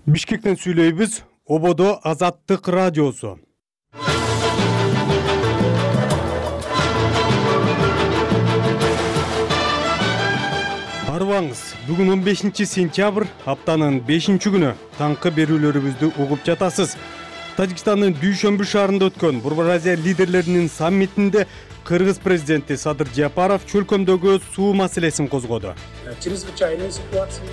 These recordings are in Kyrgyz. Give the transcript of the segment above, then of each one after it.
Бишкектен сүйлөйбүз. Ободо Азаттык радиосу. Арыбаңыз, бүгүн 15-сентябрь, аптанын 5-күнү. Таңкы берүүлөрүбүздү угуп жатасыз. Тажикстандын Дүйшөмбү шаарында өткөн Бурбаразия лидерлеринин саммитинде Кыргыз президенти Садыр Жапаров чөлкөмдөгү суу маселесин козгоду.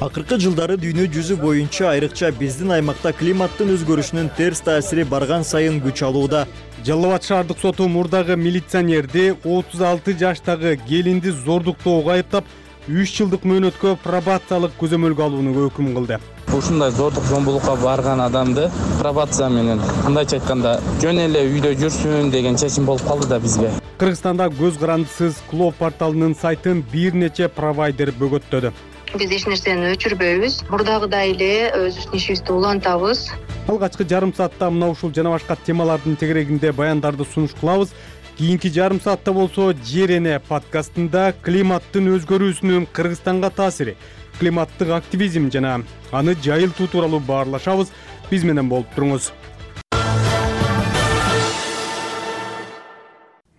Акыркы жылдары дүйнө жүзү боюнча, айрыкча биздин аймакта климаттын өзгөрүшүнүн терс таасири барган сайын күч алууда. Жалал Абад шаардык соту мурдагы милиционерди 36 жаштагы келинди зордуктоого айыптап, 3 жылдык мөөнөткө пробациялык көзөмөлгө алууну өкүм кылды. Ушундай зордук зомбулукка барган адамды пробация менен, кандайча айтканда, жөн эле үйдө жүрсүн деген чечим болуп калды да бизге. Кыргызстанда көз карандысыз Клоп порталынын сайтын бир нече провайдер бөгөттөдү. Биз эч нерсени өчүрбөйбүз. Мурдагыдай эле өзүбүздүн ишибизди улантабыз. Алгачкы жарым саатта мына ушул жана башка темалардын тегерегинде баяндарды сунуш кылабыз. Кийинки жарым саатта болсо Жер эне подкастында климаттын өзгөрүүсүнүн Кыргызстанга таасири, климаттык активизм жана аны жайылтуу тууралуу баарлашабыз. Биз менен болуп туруңуз.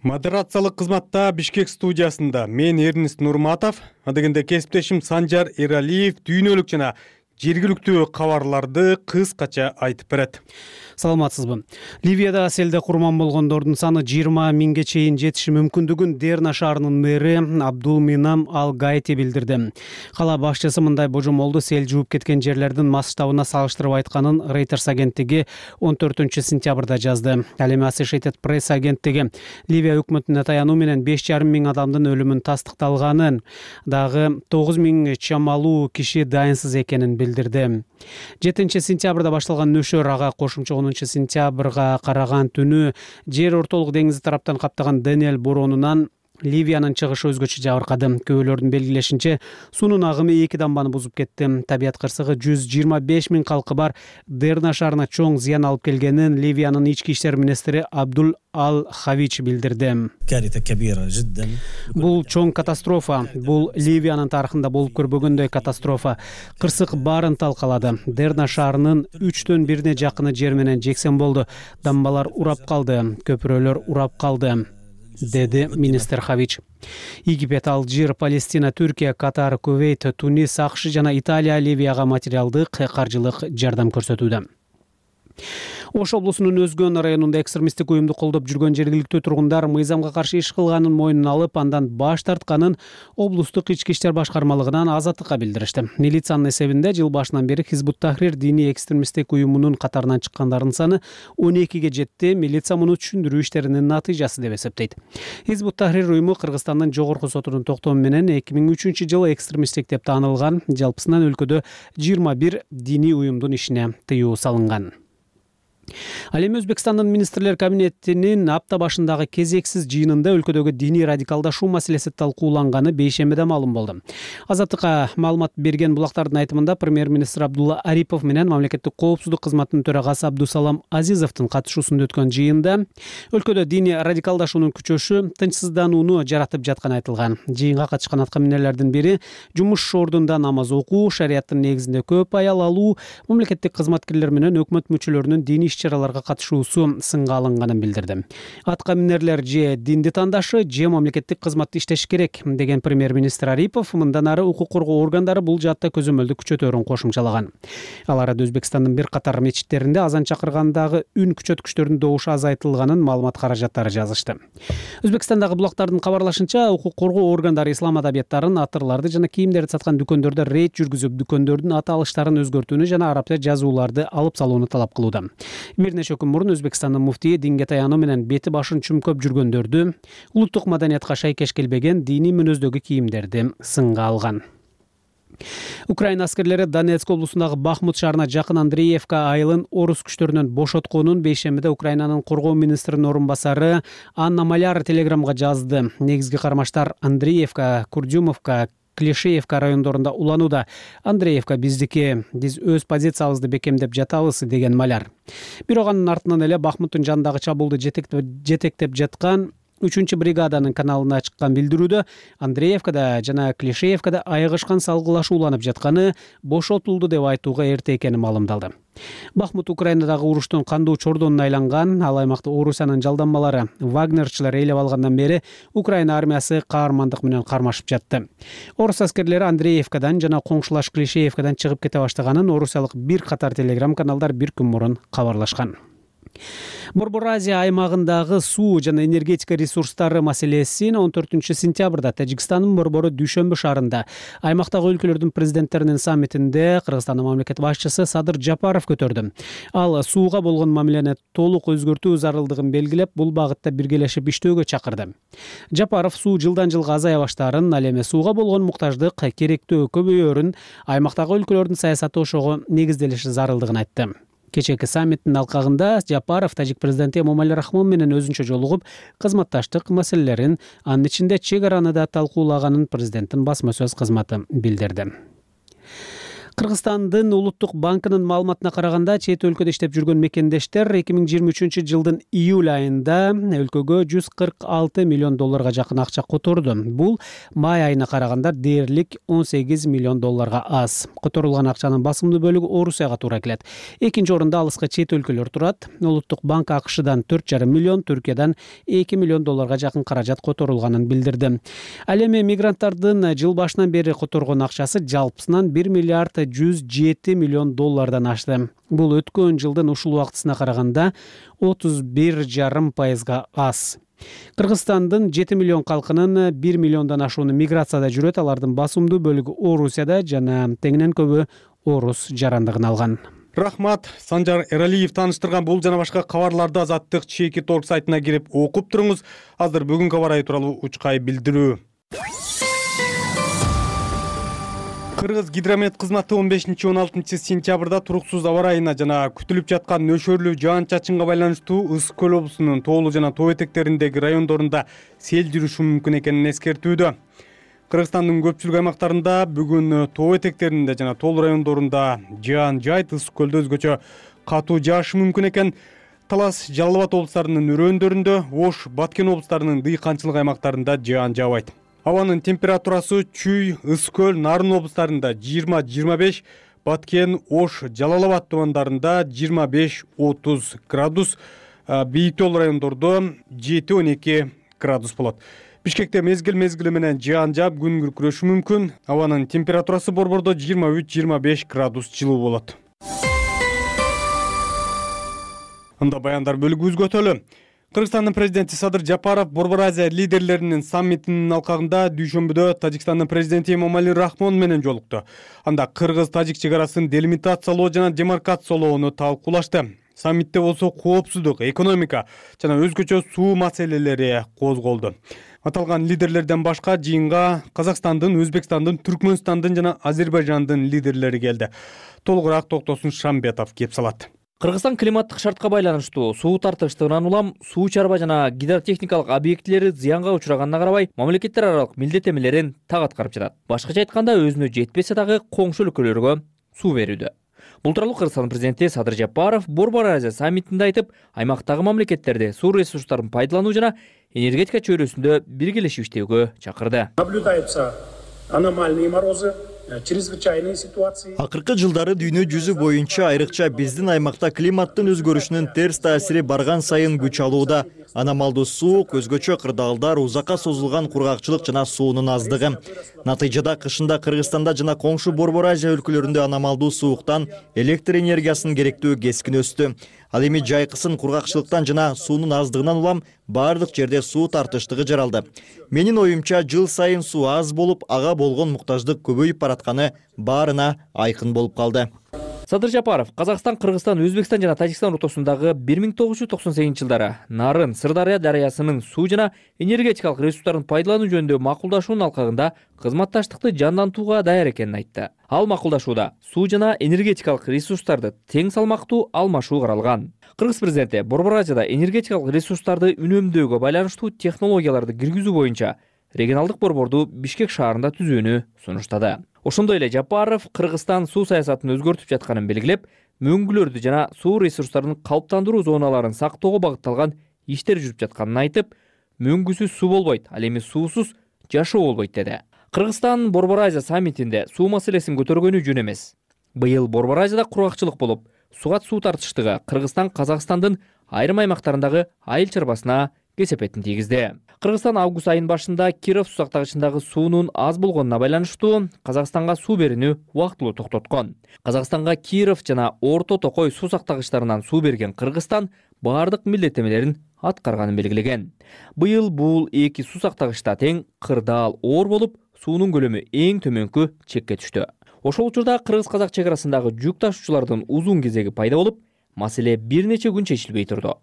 Модерациялык кызматта Бишкек студиясында мен Эрнист Нурматов, адегенде кесиптешим Санжар Эралиев дүйнөлүк жана жергиликтүү кабарларды кыскача айтып берет. Саламатсызбы? Ливияда селде курман болгондордун саны 20 миңге чейин жетиши мүмкүндүгүн Дерна шаарынын мэри Абдулминам Ал-Гайти билдирди. Кала башчысы мындай божомолду сел жууп кеткен жерлердин масштабына салыштырып айтканын Reuters агенттиги 14-сентябрда жазды. Ал эми Associated Press агенттиги Ливия өкмөтүнө таянуу менен 5,5 миң адамдын өлүмүн тастыкталганын, дагы 9 миң чамалуу киши дайынсыз экенин билдирди. 7-сентябрда башталган нөшөр ага кошумча 10-сентябрга караган түнү жер ортолук деңизи тараптан каптаган Денель боронунан Ливиянын чыгышы өзгөчө жабыркады. Көбөлөрдүн белгилешинче, суунун агымы 2 дамбаны бузуп кетти. Табият кырсыгы 125 миң калкы бар Дерна шаарына чоң зыян алып келгенин Ливиянын ички иштер министри Абдул Ал-Хавич билдирди. Бул чоң катастрофа. Бул Ливиянын тарыхында болуп көрбөгөндөй катастрофа. Кырсык баарын талкалады. Дерна шаарынын 3төн 1 жакыны жер менен жексен болду. Дамбалар урап калды, көпүрөлөр урап калды, деди министр Хавич. Египет, Алжир, Палестина, Түркия, Катар, Кувейт, Тунис, АКШ жана Италия Ливияга материалдык, каржылык жардам көрсөтүүдө. Ош облусунун Өзгөн районунда экстремисттик уюмду колдоп жүргөн жергиликтүү тургундар мыйзамга каршы иш кылганын мойнуна алып, андан баш тартканын облустук ички иштер башкармалыгынан Азаттыкка билдиришти. Милициянын эсебинде жыл башынан бери Хизбут Тахрир диний экстремисттик уюмунун катарынан чыккандардын саны 12ге жетти. Милиция муну түшүндүрүү иштеринин натыйжасы деп эсептейт. Хизбут Тахрир уюму Кыргызстандын жогорку сотунун токтому менен 2003-жылы экстремисттик деп таанылган. Жалпысынан өлкөдө 21 диний уюмдун ишине тыюу салынган. Ал эми Өзбекстандын министрлер кабинетинин апта башындагы кезексиз жыйынында өлкөдөгү диний радикалдашуу маселеси талкууланганы бейшембиде маалым болду. Азаттыкка маалымат берген булактардын айтымында премьер-министр Абдулла Арипов менен мамлекеттик коопсуздук кызматынын төрагасы Абдусалам Азизовдун катышуусунда өткөн жыйында өлкөдө диний радикалдашуунун күчөшү тынчсызданууну жаратып жатканы айтылган. Жыйынга катышкан аткаминерлердин бири жумуш ордунда намаз окуу, шариаттын негизинде көп аял алуу, мамлекеттик кызматкерлер менен өкмөт мүчөлөрүнүн диний иш-чараларга катышуусу сынга алынганын билдирди. Аткаминерлер же динди тандашы, же мамлекеттик кызматты иштеш керек деген премьер-министр Арипов мындан ары укук коргоо органдары бул жаатта көзөмөлдү күчөтөөрүн кошумчалаган. Ал арада Өзбекстандын бир катар мечиттеринде азан чакыргандагы үн күчөткүчтөрдүн добушу азайтылганын маалымат каражаттары жазышты. Өзбекстандагы булактардын кабарлашынча, укук коргоо органдары ислам адабияттарын, атырларды жана кийимдерди саткан дүкөндөрдө рейд жүргүзүп, дүкөндөрдүн аты алыштарын өзгөртүүнү жана арабча жазууларды алып салууну талап кылууда. Бир нече күн мурун Өзбекстандын муфтийи динге таянуу менен бети башын чүмкөп жүргөндөрдү, улуттук маданиятка шайкеш келбеген диний мүнөздөгү кийимдерди сынга алган. Украина аскерлери Донецк облусундагы Бахмут шаарына жакын Андреевка айылын орус күчтөрүнөн бошотконун бейшембиде Украинанын коргоо министринин орун басары Анна Маляр телеграмга жазды. Негизги кармаштар Андреевка, Курдюмовка, Клишеевка райондорунда уланууда. Андреевка биздики, биз өз позициябызды бекемдеп жатабыз деген Маляр. Бирок анын артынан эле Бахмуттун жанындагы чабуулду жетектеп жаткан 3-бригаданын каналына чыккан билдирүүдө Андреевкада жана Клишеевкада айыгышкан салгылашуу уланып жатканы бошотулду деп айтууга эрте экени маалымдалды. Бахмут Украинадагы уруштун кандуу чордонуна айланган. Ал аймакты Орусиянын жалданмалары вагнерчилер ээлеп алгандан бери Украина армиясы каармандык менен кармашып жатты. Орус аскерлери Андреевкадан жана коңшулаш Клишеевкадан чыгып кете баштаганын орусиялык бир катар телеграм каналдар бир күн мурун кабарлашкан. Борбор Азия аймагындагы суу жана энергетика ресурстары маселесин 14-сентябрда Тажикстандын борбору Дүйшөмбү шаарында аймактагы өлкөлөрдүн президенттеринин саммитинде Кыргызстандын мамлекет башчысы Садыр Жапаров көтөрдү. Ал сууга болгон мамилени толук өзгөртүү зарылдыгын белгилеп, бул багытта биргелешип иштөөгө чакырды. Жапаров суу жылдан жылга азая баштаарын, ал эми сууга болгон муктаждык керектөө көбөйөөрүн, аймактагы өлкөлөрдүн саясаты ошого негизделиши зарылдыгын айтты. Кечээки саммиттин алкагында Жапаров тажик президенти Эмомали Рахмон менен өзүнчө жолугуп, кызматташтык маселелерин, анын ичинде чек араны да талкуулаганын президенттин басма сөз кызматы билдирди. Кыргызстандын Улуттук банкынын маалыматына караганда, чет өлкөдө иштеп жүргөн мекендештер 2023 жылдын июль айында өлкөгө 146 миллион долларга жакын акча которду. Бул май айына караганда дээрлик 18 миллион долларга аз. Которулган акчанын басымдуу бөлүгү Орусияга туура келет. Экинчи орунда алыска чет өлкөлөр турат. Улуттук банк АКШдан 4,5 миллион, Түркиядан 2 миллион долларга жакын каражат которулганын билдирди. Ал эми мигранттардын жыл башынан бери которгон акчасы жалпысынан 1 миллиард 107 миллион доллардан ашты. Бул өткөн жылдын ушул убактысына караганда 31,5% аз. Кыргызстандын 7 миллион калкынын 1 миллиондан ашууну миграцияда жүрөт. Алардын басымдуу бөлүгү Орусияда жана теңинен көбү орус жарандыгын алган. Рахмат. Санжар Эралиев тааныштырган бул жана башка кабарларды Азаттык Чеки Торг сайтына кирип окуп туруңуз. Азыр бүгүнкү кабар айы тууралуу учкай билдирүү. Кыргыз гидромет кызматы 15-16 сентябрда туруксуз аба ырайына жана күтүлүп жаткан нөшөрлүү жаан-чачынга байланыштуу Ысык көл облусунун тоолуу жана тоо этектериндеги райондорунда сел жүрүшү мүмкүн экенин эскертүүдө. Кыргызстандын көпчүлүк аймактарында бүгүн тоо этектеринде жана тоолуу райондорунда жаан жайт, Ысык көлдө өзгөчө катуу жаашы мүмкүн экен. Талас, Жалал Абад облустарынын өрөөндөрүндө, Ош, Баткен облустарынын дыйканчылык аймактарында жаан жаабайт. Абанын температурасы Чүй, Ысык көл, Нарын облустарында 20-25, Баткен, Ош, Жалал Абад тумандарында 25-30 градус, бийиктүү райондордо 7-12 градус болот. Бишкекте мезгил менен жаан жаап, күн күркүрөшү мүмкүн. Абанын температурасы борбордо 23-25 градус жылуу болот. Анда баяндар бөлүгүбүзгө өтөлү. Кыргызстандын президенти Садыр Жапаров Борбор Азия лидерлеринин саммитинин алкагында Дүйшөмбүдө Тажикстандын президенти Эмомали Рахмон менен жолукту. Анда кыргыз-тажик чек арасын делимитациялоо жана демаркациялоону талкуулашты. Саммитте болсо коопсуздук, экономика жана өзгөчө суу маселелери козголду. Аталган лидерлерден башка жыйынга Казакстандын, Өзбекстандын, Түркмөнстандын жана Азербайжандын лидерлери келди. Толугураак Токтосун Шамбетов кеп салат. Кыргызстан климаттык шартка байланыштуу суу тартыштыгынан улам суу чарба жана гидротехникалык объектилери зыянга учураганына карабай, мамлекеттер аралык милдеттемелерин так аткарып жатат. Башкача айтканда, өзүнө жетпесе дагы коңшу өлкөлөргө суу берүүдө. Бул тууралуу Кыргызстан президенти Садыр Жапаров Борбор Азия саммитинде айтып, аймактагы мамлекеттерди суу ресурстарын пайдалануу жана энергетика чөйрөсүндө биргелешип иштөөгө чакырды. Наблюдаются аномальные морозы, чрезвычайные ситуации. Акыркы жылдары дүйнө жүзү боюнча, айрыкча биздин аймакта климаттын өзгөрүшүнүн терс таасири барган сайын күч алууда. Аномалдуу суук, өзгөчө кырдаалдар, узакка созулган кургакчылык жана суунун аздыгы. Натыйжада кышында Кыргызстанда жана коңшу Борбор Азия өлкөлөрүндө аномалдуу сууктан электр энергиясынын керектөө кескин өстү. Ал эми жайкысын кургакчылыктан жана суунун аздыгынан улам бардык жерде суу тартыштыгы жаралды. Менин оюмча, жыл сайын суу аз болуп, ага болгон муктаждык көбөйүп баратканы баарына айкын болуп калды. Садыр Жапаров Казакстан, Кыргызстан, Өзбекстан жана Тажикстан ортосундагы 1998 жылдары Нарын, Сырдарыя дарыясынын суу жана энергетикалык ресурстарын пайдалануу жөнүндө макулдашуунун алкагында кызматташтыкты жандантууга даяр экенин айтты. Ал макулдашууда суу жана энергетикалык ресурстарды тең салмактуу алмашуу каралган. Кыргыз президенти Борбор Азияда энергетикалык ресурстарды үнөмдөөгө байланыштуу технологияларды киргизүү боюнча регионалдык борборду Бишкек шаарында түзүүнү сунуштады. Ошондой эле Жапаров Кыргызстан суу саясатын өзгөртүп жатканын белгилеп, мөңгүлөрдү жана суу ресурстарын калыптандыруу зоналарын сактоого багытталган иштер жүрүп жатканын айтып, мөңгүсүз суу болбойт, ал эми суусуз жашоо болбойт деди. Кыргызстан Борбор Азия саммитинде суу маселесин көтөргөнү жөн эмес. Быйыл Борбор Азияда кургакчылык болуп, сугат суу тартыштыгы Кыргызстан Казакстандын айрым аймактарындагы айыл чарбасына кесепетин тийгизди. Кыргызстан август айынын башында Киров сусактагычындагы суунун аз болгонуна байланыштуу Казакстанга суу берүүнү убактылуу токтоткон. Казакстанга Киров жана Орто Токой сусактагычтарынан суу берген Кыргызстан бардык милдеттемелерин аткарганын белгилеген. Быйыл бул эки сусактагычта тең кырдаал оор болуп, суунун көлөмү эң төмөнкү чекке түштү. Ошол учурда кыргыз-казак чек арасындагы жүк ташуучулардын узун кезеги пайда болуп, маселе бир нече күн чечилбей турду.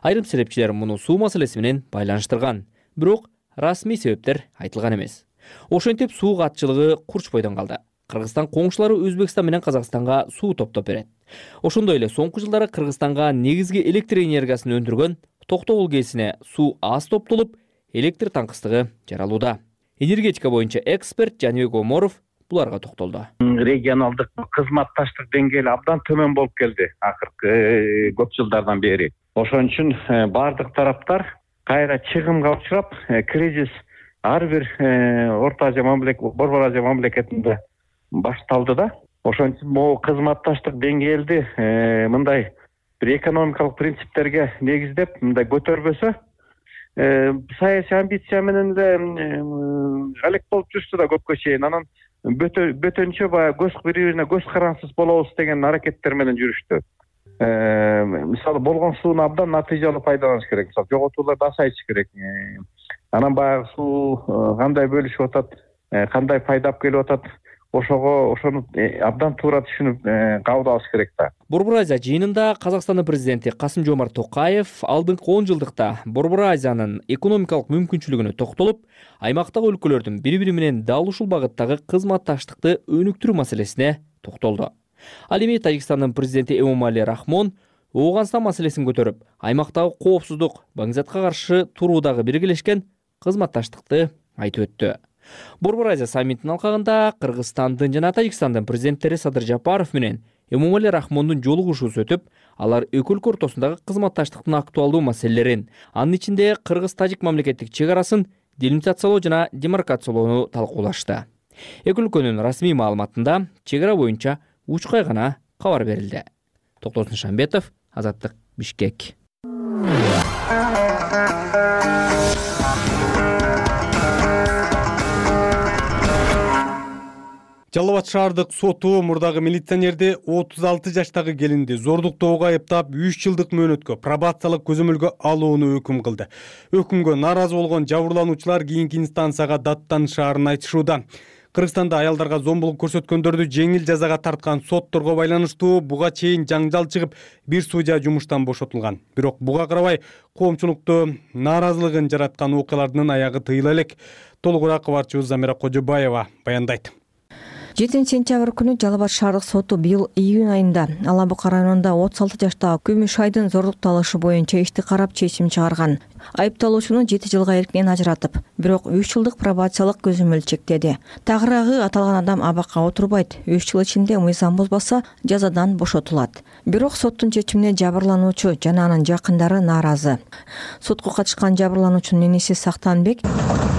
Айрым серепчилер муну суу маселеси менен байланыштырган, бирок расмий себептер айтылган эмес. Ошентип суу катчылыгы курч бойдон калды. Кыргызстан коңшулары Өзбекстан менен Казакстанга суу топтоп берет. Ошондой эле соңку жылдары Кыргызстанга негизги электр энергиясын өндүргөн Токтогул КЭСине суу аз топтолуп, электр таңкыстыгы жаралууда. Энергетика боюнча эксперт Жаныбек Оморов буларга токтолду. Регионалдык кызматташтык деңгээли абдан төмөн болуп келди акыркы көп жылдардан бери. Ошон үчүн бардык тараптар кайра чыгымга учурап, кризис ар бир Орто Азия Борбор Азия мамлекетинде башталды да. Ошон үчүн могу кызматташтык деңгээлди мындай бир экономикалык принциптерге негиздеп мындай көтөрбөсө, саясий амбиция менен эле алек болуп жүрсү да көпкө чейин. Анан бөтөнчө баягы бири-бирине көз карансыз болобуз деген аракеттер менен жүрүштү. Мисалы болгон сууну абдан натыйжалуу пайдаланыш керек. Мисалы жоготууларды азайтыш керек. Анан баягы суу кандай бөлүшүп атат, кандай пайдап келип атат, ошону абдан туура түшүнүп кабыл алыш керек да. Борбор Азия жыйынында Казакстандын президенти Касым-Жомарт Токаев алдыңкы 10 жылдыкта Борбор Азиянын экономикалык мүмкүнчүлүгүнө токтолуп, аймактагы өлкөлөрдүн бири-бири менен дал ушул багыттагы кызматташтыкты өнүктүрүү маселесине токтолду. Ал эми Тажикстандын президенти Эмомали Рахмон Ооганстан маселесин көтөрүп, аймактагы коопсуздук, баңгизатка каршы туруудагы биргелешкен кызматташтыкты айтып өттү. Борбор Азия саммитинин алкагында Кыргызстандын жана Тажикстандын президенттери Садыр Жапаров менен Эмомали Рахмондун жолугушуусу өтүп, алар эки өлкө ортосундагы кызматташтыктын актуалдуу маселелерин, анын ичинде Кыргыз-Тажик мамлекеттик чек арасын делимитациялоо жана демаркациялоону талкуулашты. Эки өлкөнүн расмий маалыматында чек ара боюнча учкай гана кабар берилди. Токтосун Шамбетов, Азаттык, Бишкек. Жалал Абад шаардык соту мурдагы милиционерди 36 жаштагы келинди зордуктоого айыптап 3 жылдык мөөнөткө пробациялык көзөмөлгө алууну өкүм кылды. Өкүмгө нааразы болгон жабырлануучулар кийинки инстанцияга даттанышаарын айтышууда. Кыргызстанда аялдарга зомбулук көрсөткөндөрдү жеңил жазага тарткан сотторго байланыштуу буга чейин жаңжал чыгып, бир судья жумуштан бошотулган. Бирок буга карабай коомчулукту нааразылыгын жараткан окуялардын аягы тыйыла элек. Толугураак кабарчыбыз Замира Кожобаева баяндайт. 7-сентябрь күнү Жалал Абад шаардык соту быйыл июнь айында Ала Бука районунда 36 жаштагы Күмүш Айдын зордукталышы боюнча ишти карап чечим чыгарган. Айыпталуучуну 7 жылга эркинен ажыратып, бирок 3 жылдык пробациялык көзөмөл чектеди. Тагыраагы аталган адам абакка отурбайт. 3 жыл ичинде мыйзам бузбаса жазадан бошотулат. Бирок соттун чечимине жабырлануучу жана анын жакындары нааразы. Сотко катышкан жабырлануучунун энеси Сактанбек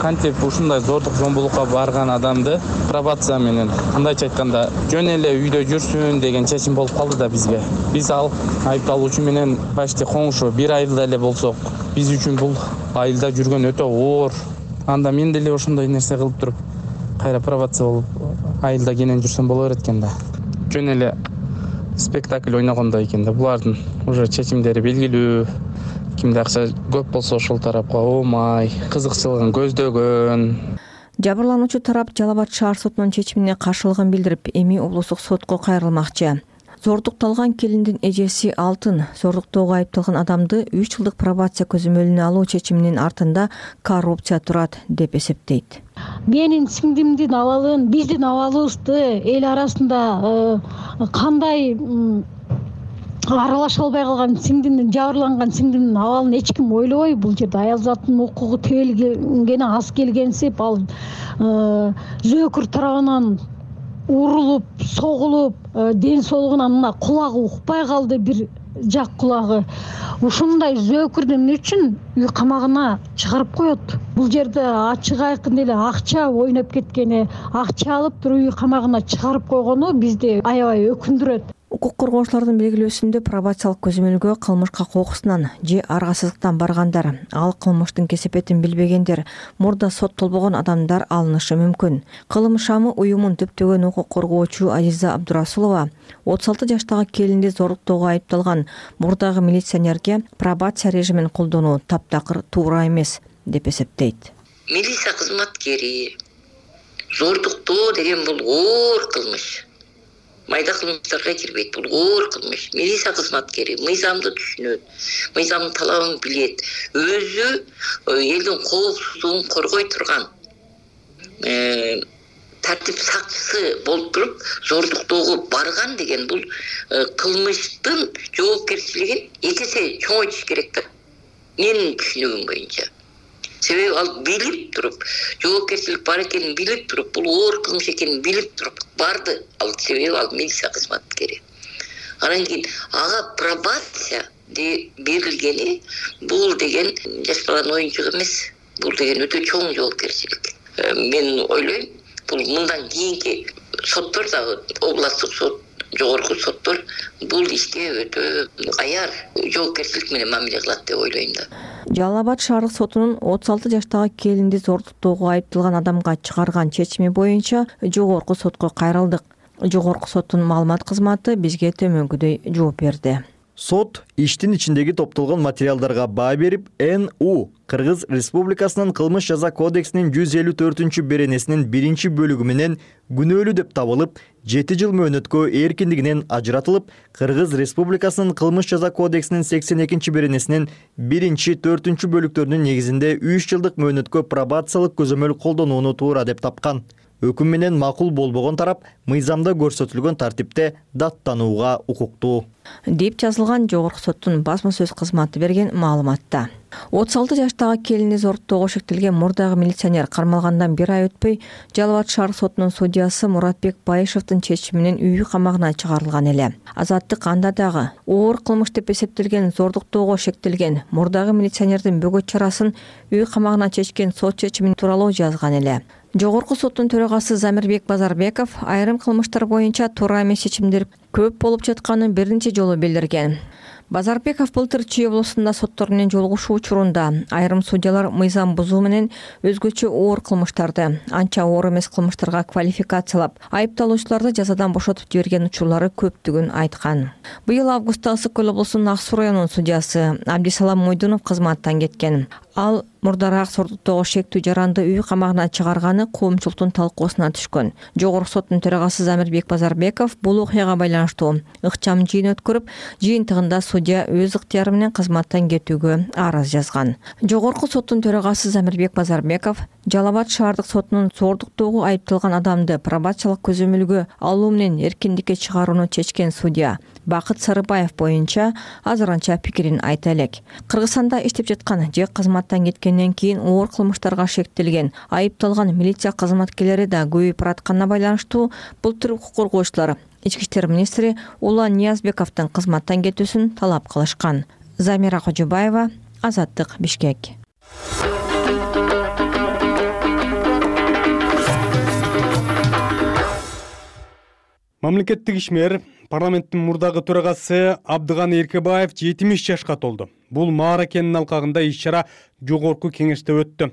кантип ушундай зордук зомбулукка барган адамды пробация менен кандайча айтканда жөн эле үйдө жүрсүн деген чечим болуп калды да бизге. Биз ал айыпталуучу менен почти коңшу бир айылда эле болсок, биз үчүн бул айылда жүргөн өтө оор. Анда мен деле ошондой нерсе кылып туруп, кайра пробация болуп айылда кенен жүрсөм боло берет экен да. Жөн эле спектакль ойногондой экен да. Булардын уже чечимдери белгилүү. Кимде акча көп болсо ошол тарапка оомай, кызыкчылыгын көздөгөн. Жабырлануучу тарап Жалал Абад шаар сотунун чечимине каршылыгын билдирип, эми облустук сотко кайрылмакчы. Зордукталган келиндин эжеси Алтын зордуктоого айыпталган адамды 3 жылдык пробация көзөмөлүнө алуу чечиминин артында коррупция турат деп эсептейт. Менин сиңдимдин абалын, биздин абалыбызды эл арасында кандай аралаша албай калган сиңдимдин, жабырланган сиңдимдин абалын эч ким ойлобой, бул жерде аял заттын укугу тебелгени аз келгенсип, ал зөөкүр тарабынан урулуп, согулуп, ден соолугунан мына кулагы укпай калды, бир жак кулагы. Ушундай зөөкүрдү эмне үчүн үй камагына чыгарып коет? Бул жерде ачык айкын эле акча ойноп кеткени, акча алып туруп үй камагына чыгарып койгону бизди аябай өкүндүрөт. Укук коргоочулардын белгилөөсүндө пробациялык көзөмөлгө кылмышка кокусунан же аргасыздыктан баргандар, ал кылмыштын кесепетин билбегендер, мурда соттолбогон адамдар алынышы мүмкүн. Кылым шамы уюмун түптөгөн укук коргоочу Азиза Абдурасулова 36 жаштагы келинди зорлуктоого айыпталган мурдагы милиционерге пробация режимин колдонуу таптакыр туура эмес деп эсептейт. Милиция кызматкери зордуктоо деген бул оор кылмыш. Майда кылмыштарга кирбейт, бул оор кылмыш. Милиция кызматкери мыйзамды түшүнөт, мыйзамдын талабын билет, өзү элдин коопсуздугун коргой турган тартип сакчысы болуп туруп зордуктоого барган деген бул кылмыштын жоопкерчилигин эки эсе чоңойтуш керек да. Менин түшүнүгүм боюнча. Себеби ал билип туруп, жоопкерчилик бар экенин билип туруп, бул оор кылмыш экенин билип туруп барды. Ал себеби ал милиция кызматкери. Анан кийин ага пробация берилгени бул деген жаш баланын оюнчугу эмес. Бул деген өтө чоң жоопкерчилик. Мен ойлойм, бул мындан кийинки соттор дагы областтык сот, жогорку соттор бул иште өтө аяр жоопкерчилик менен мамиле кылат деп ойлойм да. Жалал Абад шаардык сотунун 36 жаштагы келинди зордуктоого айыпталган адамга чыгарган чечими боюнча жогорку сотко кайрылдык. Жогорку соттун маалымат кызматы бизге төмөнгүдөй жооп берди. Сот иштин ичиндеги топтолгон материалдарга баа берип, НУ Кыргыз Республикасынын кылмыш жаза кодексинин 154 беренесинин 1-бөлүгү менен күнөөлүү деп табылып, 7 жыл мөөнөткө эркиндигинен ажыратылып, Кыргыз Республикасынын кылмыш жаза кодексинин 82 беренесинин 1-4 бөлүктөрүнүн негизинде 3 жылдык мөөнөткө пробациялык көзөмөл колдонууну туура деп тапкан. Өкүм менен макул болбогон тарап мыйзамда көрсөтүлгөн тартипте даттанууга укуктуу деп жазылган жогорку соттун басма сөз кызматы берген маалыматта. 36 жаштагы келинди зордуктоого шектелген мурдагы милиционер кармалгандан 1 ай өтпөй Жалал Абад шаардык сотунун судьясы Муратбек Байышевдин чечиминен үй камагына чыгарылган эле. Азаттык анда дагы оор кылмыш деп эсептелген зордуктоого шектелген мурдагы милиционердин бөгөт чарасын үй камагына чечкен сот чечими тууралуу жазган эле. Жогорку соттун төрагасы Замирбек Базарбеков айрым кылмыштар боюнча туура эмес чечимдер көп болуп жатканын биринчи жолу билдирген. Базарбеков былтыр Чүй облусунда соттор менен жолугушуу учурунда айрым судьялар мыйзам бузуу менен өзгөчө оор кылмыштарды, анча оор эмес кылмыштарга квалификациялап, айыпталуучуларды жазадан бошотуп жиберген учурлары көптүгүн айткан. Быйыл августта Ысык Көл облусунун Ак Суу районунун судьясы Абдисалам Мойдунов кызматтан кеткен. Ал мурдараак зордуктоого шектүү жаранды үй камагына чыгарганы коомчулуктун талкуусуна түшкөн. Жогорку соттун төрагасы Замирбек Базарбеков бул окуяга байланыштуу ыкчам жыйын өткөрүп, жыйынтыгында судья өз ыктыяры менен кызматтан кетүүгө арыз жазган. Жогорку соттун төрагасы Замирбек Базарбеков Жалал Абад шаардык сотунун зордуктоого айыпталган адамды пробациялык көзөмөлгө алуу менен эркиндикке чыгарууну чечкен судья Бакыт Сарыбаев боюнча азырынча пикирин айта элек. Кыргызстанда иштеп жаткан же кызматтан кеткенден кийин оор кылмыштарга шектелген айыпталган милиция кызматкерлери да көбөйүп баратканына байланыштуу былтыр укук коргоочулар Ички иштер министри Улан Ниязбековдун кызматтан кетүүсүн талап кылышкан. Замира Кожубаева, Азаттык, Бишкек. Мамлекеттик ишмер парламенттин мурдагы төрагасы Абдыганы Эркебаев 70 жашка толду. Бул мааракенин алкагында иш-чара жогорку кеңеште өттү.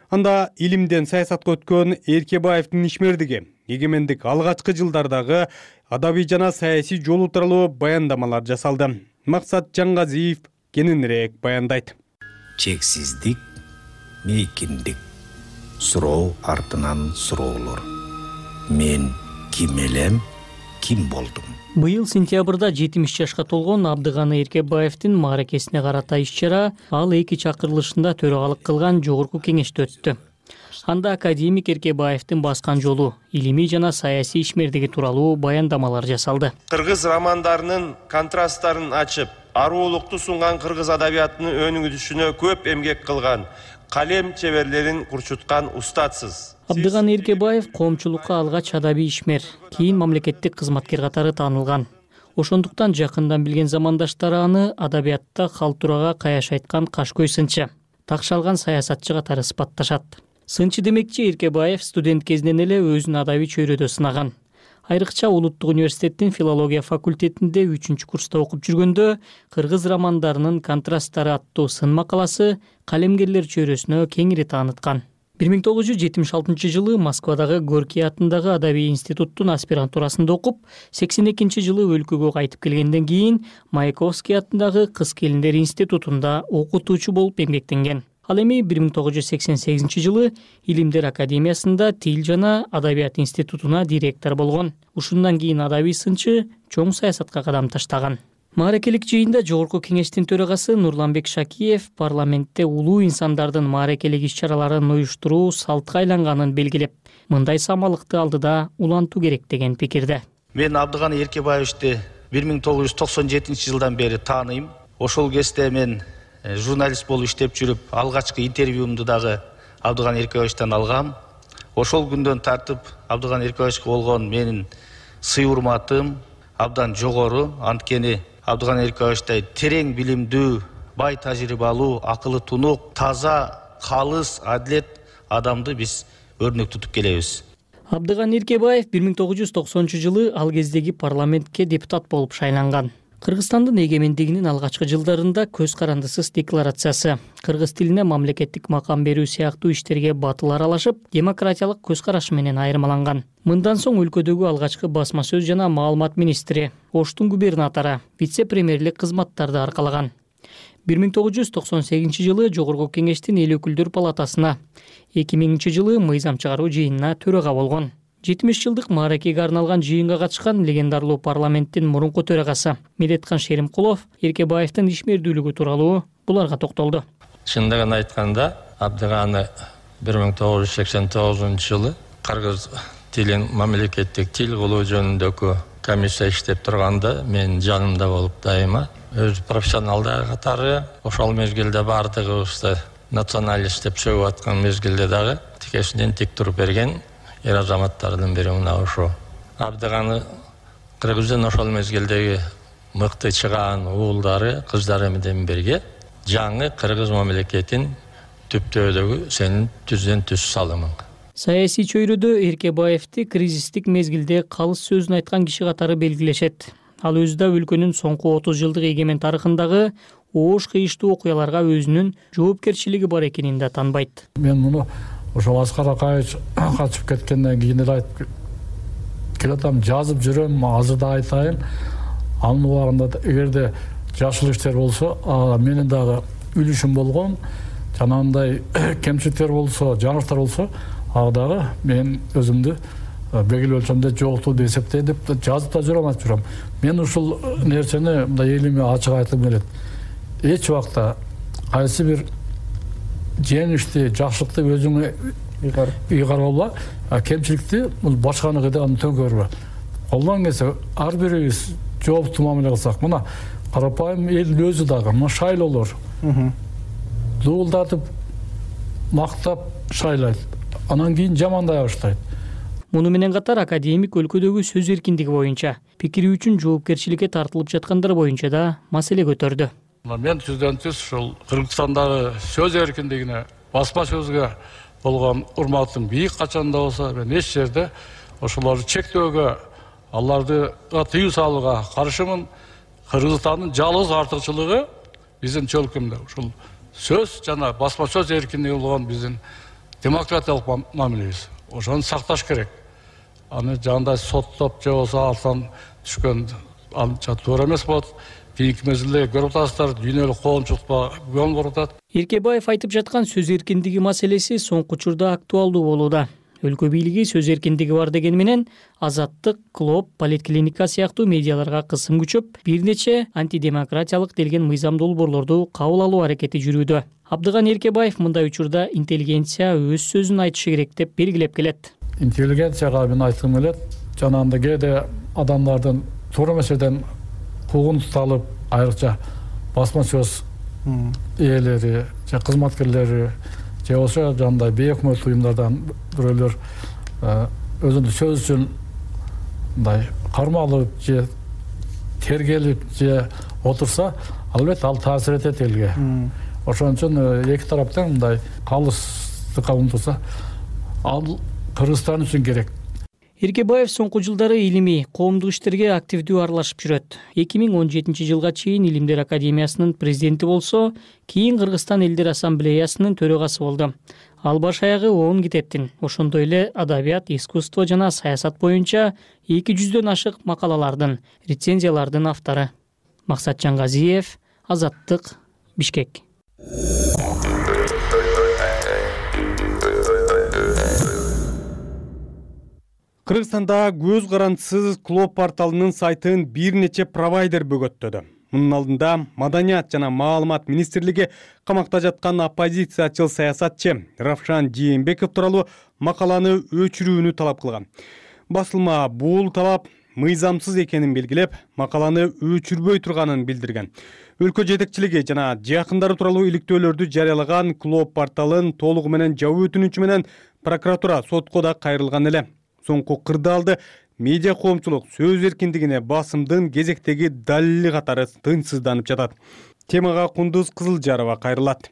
Анда илимден саясатка өткөн Эркебаевдин ишмердиги, эгемендик алгачкы жылдардагы адабий жана саясий жолу тууралуу баяндамалар жасалды. Максат Жаңгазиев кененирээк баяндайт. Чексиздик, мейкиндик, суроо артынан суроолор. Мен ким элем, ким болдум? Быйыл сентябрда 70 жашка толгон Абдыганы Эркебаевдин мааракесине карата иш-чара ал 2 чакырылышында төрагалык кылган жогорку кеңеште өттү. Анда академик Эркебаевдин баскан жолу, илимий жана саясий ишмердиги тууралуу баяндамалар жасалды. Кыргыз романдарынын контрасттарын ачып, аруулукту сунган кыргыз адабиятынын өнүгүшүнө көп эмгек кылган, калем чеберлерин курчуткан устатсыз. Абдыганы Эркебаев коомчулукка алгач адабий ишмер, кийин мамлекеттик кызматкер катары таанылган. Ошондуктан жакындан билген замандаштары аны адабиятта калтурага каяш айткан кашкөй сынчы, такшалган саясатчы катары сыпатташат. Сынчы демекчи Эркебаев студент кезинен эле өзүн адабий чөйрөдө сынаган. Айрыкча Улуттук университеттин филология факультетинде 3-курста окуп жүргөндө кыргыз романдарынын контрасттары аттуу сын макаласы калемгерлер чөйрөсүнө кеңири тааныткан. 1976 жылы Москвадагы Горький атындагы Адабий институттун аспирантурасында окуп, 82 жылы өлкөгө кайтып келгенден кийин Маяковский атындагы Кыз келиндер институтунда окутуучу болуп эмгектенген. Ал эми 1988 жылы Илимдер академиясында Тил жана Адабият институтуна директор болгон. Ушундан кийин адабий сынчы чоң саясатка кадам таштаган. Мааракелик жыйында Жогорку кеңештин төрагасы Нурланбек Шакиев парламентте улуу инсандардын мааракелик иш-чараларын уюштуруу салтка айланганын белгилеп, мындай самалыкты алдыда улантуу керек деген пикирде. Мен Абдыганы Эркебаевичти 1997 жылдан бери тааныйм. Ошол кезде мен журналист болуп иштеп жүрүп, алгачкы интервьюмду дагы Абдыган Эркебаевичтен алгам. Ошол күндөн тартып Абдыган Эркебаевичке болгон менин сый-урматым абдан жогору. Анткени Абдыган Эркебаевичтай терең билимдүү, бай тажрыйбалуу, акылы тунук, таза, калыс, адилет адамды биз өрнөк тутуп келебиз. Абдыган Эркебаев 1990 жылы ал кездеги парламентке депутат болуп шайланган. Кыргызстандын эгемендигинин алгачкы жылдарында көз карандысыз декларациясы, кыргыз тилине мамлекеттик макам берүү сыяктуу иштерге батыл аралашып, демократиялык көз карашы менен айырмаланган. Мындан соң өлкөдөгү алгачкы басма сөз жана маалымат министри, Оштун губернатору, вице-премьерлик кызматтарды аркалаган. 1998 жылы Жогорку кеңештин эл өкүлдөр палатасына, 2000 жылы мыйзам чыгаруу жыйынына төрага болгон. 70 жылдык мааракеге арналган жыйынга катышкан легендарлуу парламенттин мурунку төрагасы Медеткан Шеримкулов Эркебаевдин ишмердүүлүгү тууралуу буларга токтолду. Чындыгын айтканда, Абдыганы 1989 жылы кыргыз тилин мамлекеттик тил кылуу жөнүндөгү комиссия иштеп турганда мен жанымда болуп дайыма өз профессионалдар катары ошол мезгилде бардыгыбызды националист деп сөгүп аткан мезгилде дагы тикесинен тик туруп берген эр азаматтардын бири мына ошо. Абдыганы кыргыздын ошол мезгилдеги мыкты чыгаан уулдары, кыздары менен бирге жаңы кыргыз мамлекетин түптөөдөгү сенин түздөн түз салымың. Саясий чөйрөдө Эркебаевти кризистик мезгилде калыс сөзүн айткан киши катары белгилешет. Ал өзү да өлкөнүн соңку 30 жылдык эгемен тарыхындагы оош кыйыштуу окуяларга өзүнүн жоопкерчилиги бар экенин да танбайт. Мен муну ошол Аскар Акаевич качып кеткенден кийин эле айтып келатам, жазып жүрөм, азыр да айтайын. Анын убагында эгерде жакшы иштер болсо, менин дагы үлүшүм болгон, жанагындай кемчиликтер болсо, жаңылыктар болсо, дагы мен өзүмдү белгилүү өлчөмдө жокту деп эсептейм деп жазып да жүрөм, айтып жүрөм. Мен ушул нерсени мындай элиме ачык айтып келет. Эч убакта кайсы бир жеңишти, жакшылыкты өзүңө ыйгар болбо, кемчиликти башканыкы да аны төңкөрбө. Колдон келсе ар бирибиз жооптуу мамиле кылсак, мына карапайым эл өзү дагы мына шайлоолор дуулдатып, мактап шайлайт. Анан кийин жамандай баштайт. Муну менен катар академик өлкөдөгү сөз эркиндиги боюнча, пикири үчүн жоопкерчиликке тартылып жаткандар боюнча да маселе көтөрдү. Мен түздөн түз ушул Кыргызстандагы сөз эркиндигине, басма сөзгө болгон урматым бийик качанда болсо, мен эч жерде ошолорду чектөөгө, аларды тыюу салууга каршымын. Кыргызстандын жалгыз артыкчылыгы биздин чөлкөмдө ушул сөз жана басма сөз эркиндиги болгон биздин демократиялык мамилебиз. Ошону сакташ керек. Аны жандай соттоп же болсо алтан түшкөн анча туура эмес болот. Кийинки мезгилде көрүп атасыздар, дүйнөлүк коомчулукка күбөн болуп атат. Эркебаев айтып жаткан сөз эркиндиги маселеси соңку учурда актуалдуу болууда. Өлкө бийлиги сөз эркиндиги бар дегени менен Азаттык, Клоп, Политклиника сыяктуу медиаларга кысым күчөп, бир нече антидемократиялык делген мыйзам долбоорлорду кабыл алуу аракети жүрүүдө. Абдыган Эркебаев мындай учурда интеллигенция өз сөзүн айтышы керек деп белгилеп келет. Интеллигенцияга мен айткым келет, жанагындай кээде адамдардын туура эмес жерден куугун туталып, айрыкча басма сөз ээлери же кызматкерлери же болсо жандай бейөкмөт уюмдардан бирөөлөр өзүнүн сөз үчүн мындай кармалып же тергелип же отурса, албетте ал таасир этет элге. Ошон үчүн эки тараптан мындай калыстыкка умтулса, ал Кыргызстан үчүн керек. Эркебаев соңку жылдары илимий, коомдук иштерге активдүү аралашып жүрөт. 2017 жылга чейин Илимдер академиясынын президенти болсо, кийин Кыргызстан элдер ассамблеясынын төрагасы болду. Ал баш аягы 10 китептин, ошондой эле адабият, искусство жана саясат боюнча 200дөн ашык макалалардын, рецензиялардын автору. Максатжан Газиев, Азаттык, Бишкек. Кыргызстанда көз карандысыз Клоп порталынын сайтын бир нече провайдер бөгөттөдү. Мунун алдында Маданият жана Маалымат министрлиги камакта жаткан оппозициячыл саясатчы Равшан Жээнбеков тууралуу макаланы өчүрүүнү талап кылган. Басылма бул талап мыйзамсыз экенин белгилеп, макаланы өчүрбөй турганын билдирген. Өлкө жетекчилиги жана жакындары тууралуу иликтөөлөрдү жарыялаган Клоп порталын толугу менен жабуу өтүнүчү менен прокуратура сотко да кайрылган эле. Соңку кырдаалды медиа коомчулук сөз эркиндигине басымдын кезектеги далили катары тынчсызданып жатат. Темага Кундуз Кызылжарова кайрылат.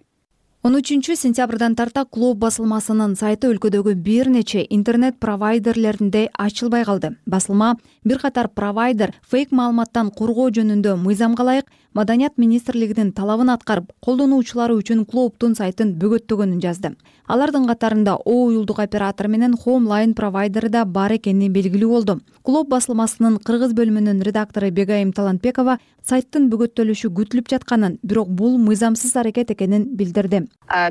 13 сентябрдан тарта Клоп басылмасынын сайты өлкөдөгү бир нече интернет провайдерлеринде ачылбай калды. Басылма бир катар провайдер фейк маалыматтан коргоо жөнүндө мыйзамга ылайык Маданият министрлигинин талабын аткарып, колдонуучулары үчүн Клоптун сайтын бөгөттөгөнүн жазды. Алардын катарында О уюлдук оператор менен Homeline провайдери да бар экени белгилүү болду. Клоп басылмасынын кыргыз бөлүмүнүн редактору Бегайым Талантбекова сайттын бөгөттөлүшү күтүлүп жатканын, бирок бул мыйзамсыз аракет экенин билдирди.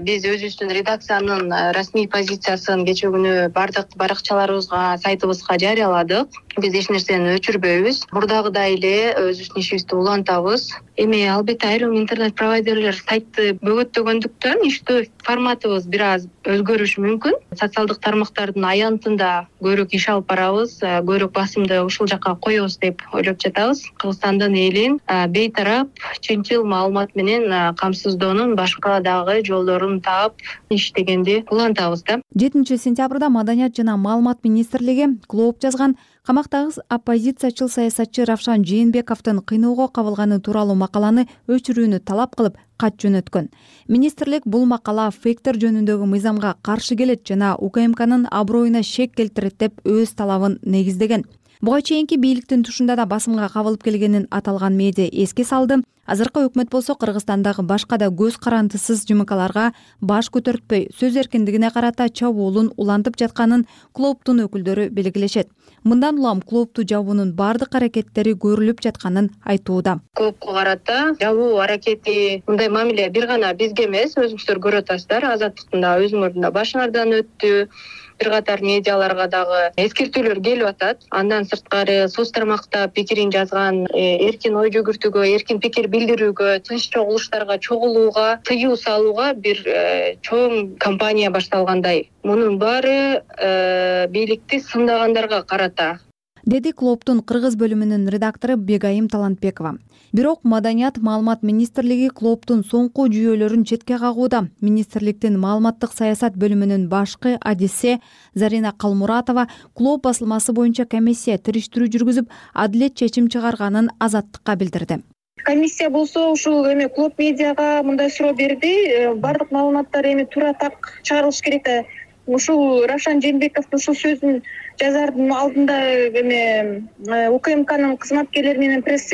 Биз өзүбүздүн редакциянын расмий позициясын кечээ күнү бардык баракчаларыбызга, сайтыбызга жарыяладык. Биз эч нерсени өчүрбөйбүз. Мурдагыдай эле өзүбүздүн ишибизди улантабыз. Эми албетте айрым интернет провайдерлер сайтты бөгөттөгөндүктөн иштөө форматыбыз бир аз өзгөрүшү мүмкүн. Социалдык тармактардын аянтында көбүрөөк иш алып барабыз, көбүрөөк басымды ушул жакка коебуз деп ойлоп жатабыз. Кыргызстандын элин бейтарап, чынчыл маалымат менен камсыздоонун башка дагы жолдорун таап иштегенди улантабыз да. 7 сентябрда Маданият жана Маалымат министрлиги Клоп жазган камактагы оппозициячыл саясатчы Равшан Жээнбековдун кыйноого кабылганы тууралуу макаланы өчүрүүнү талап кылып кат жөнөткөн. Министрлик бул макала фейктер жөнүндөгү мыйзамга каршы келет жана УКМКнын аброюна шек келтирет деп өз талабын негиздеген. Буга чейинки бийликтин тушунда да басымга кабылып келгенин аталган медиа эске салды. Азыркы өкмөт болсо Кыргызстандагы башка да көз карандысыз жымыкаларга баш көтөртпөй, сөз эркиндигине карата чабуулун улантып жатканын Клоптун өкүлдөрү белгилешет. Мындан улам Клопту жабуунун бардык аракеттери көрүлүп жатканын айтууда. Клопко карата жабуу аракети мындай мамиле бир гана бизге эмес, өзүңүздөр көрүп атасыздар. Азаттыктын да өзүңөрдүн да башыңардан өттү. Бир катар медиаларга дагы эскертүүлөр келип атат. Андан сырткары соц тармакта пикирин жазган, эркин ой жүгүртүүгө, эркин пикир билдирүүгө, тынч чогулуштарга чогулууга тыюу салууга бир чоң кампания башталгандай. Мунун баары бийликти сындагандарга карата, деди Клоптун кыргыз бөлүмүнүн редактору Бегайым Талантбекова. Бирок Маданият Маалымат министрлиги Клоптун соңку жүйөлөрүн четке кагууда. Министрликтин маалыматтык саясат бөлүмүнүн башкы адиси Зарина Калмуратова Клоп басылмасы боюнча комиссия териштирүү жүргүзүп, адилет чечим чыгарганын Азаттыкка билдирди. Комиссия болсо ушул эми Клоп медиага мындай суроо берди. Бардык маалыматтар эми туура так чыгарылыш керек да. Ушул Равшан Жээнбековдун ушул сөзүн жазардын алдында эми УКМКнын кызматкерлери менен пресс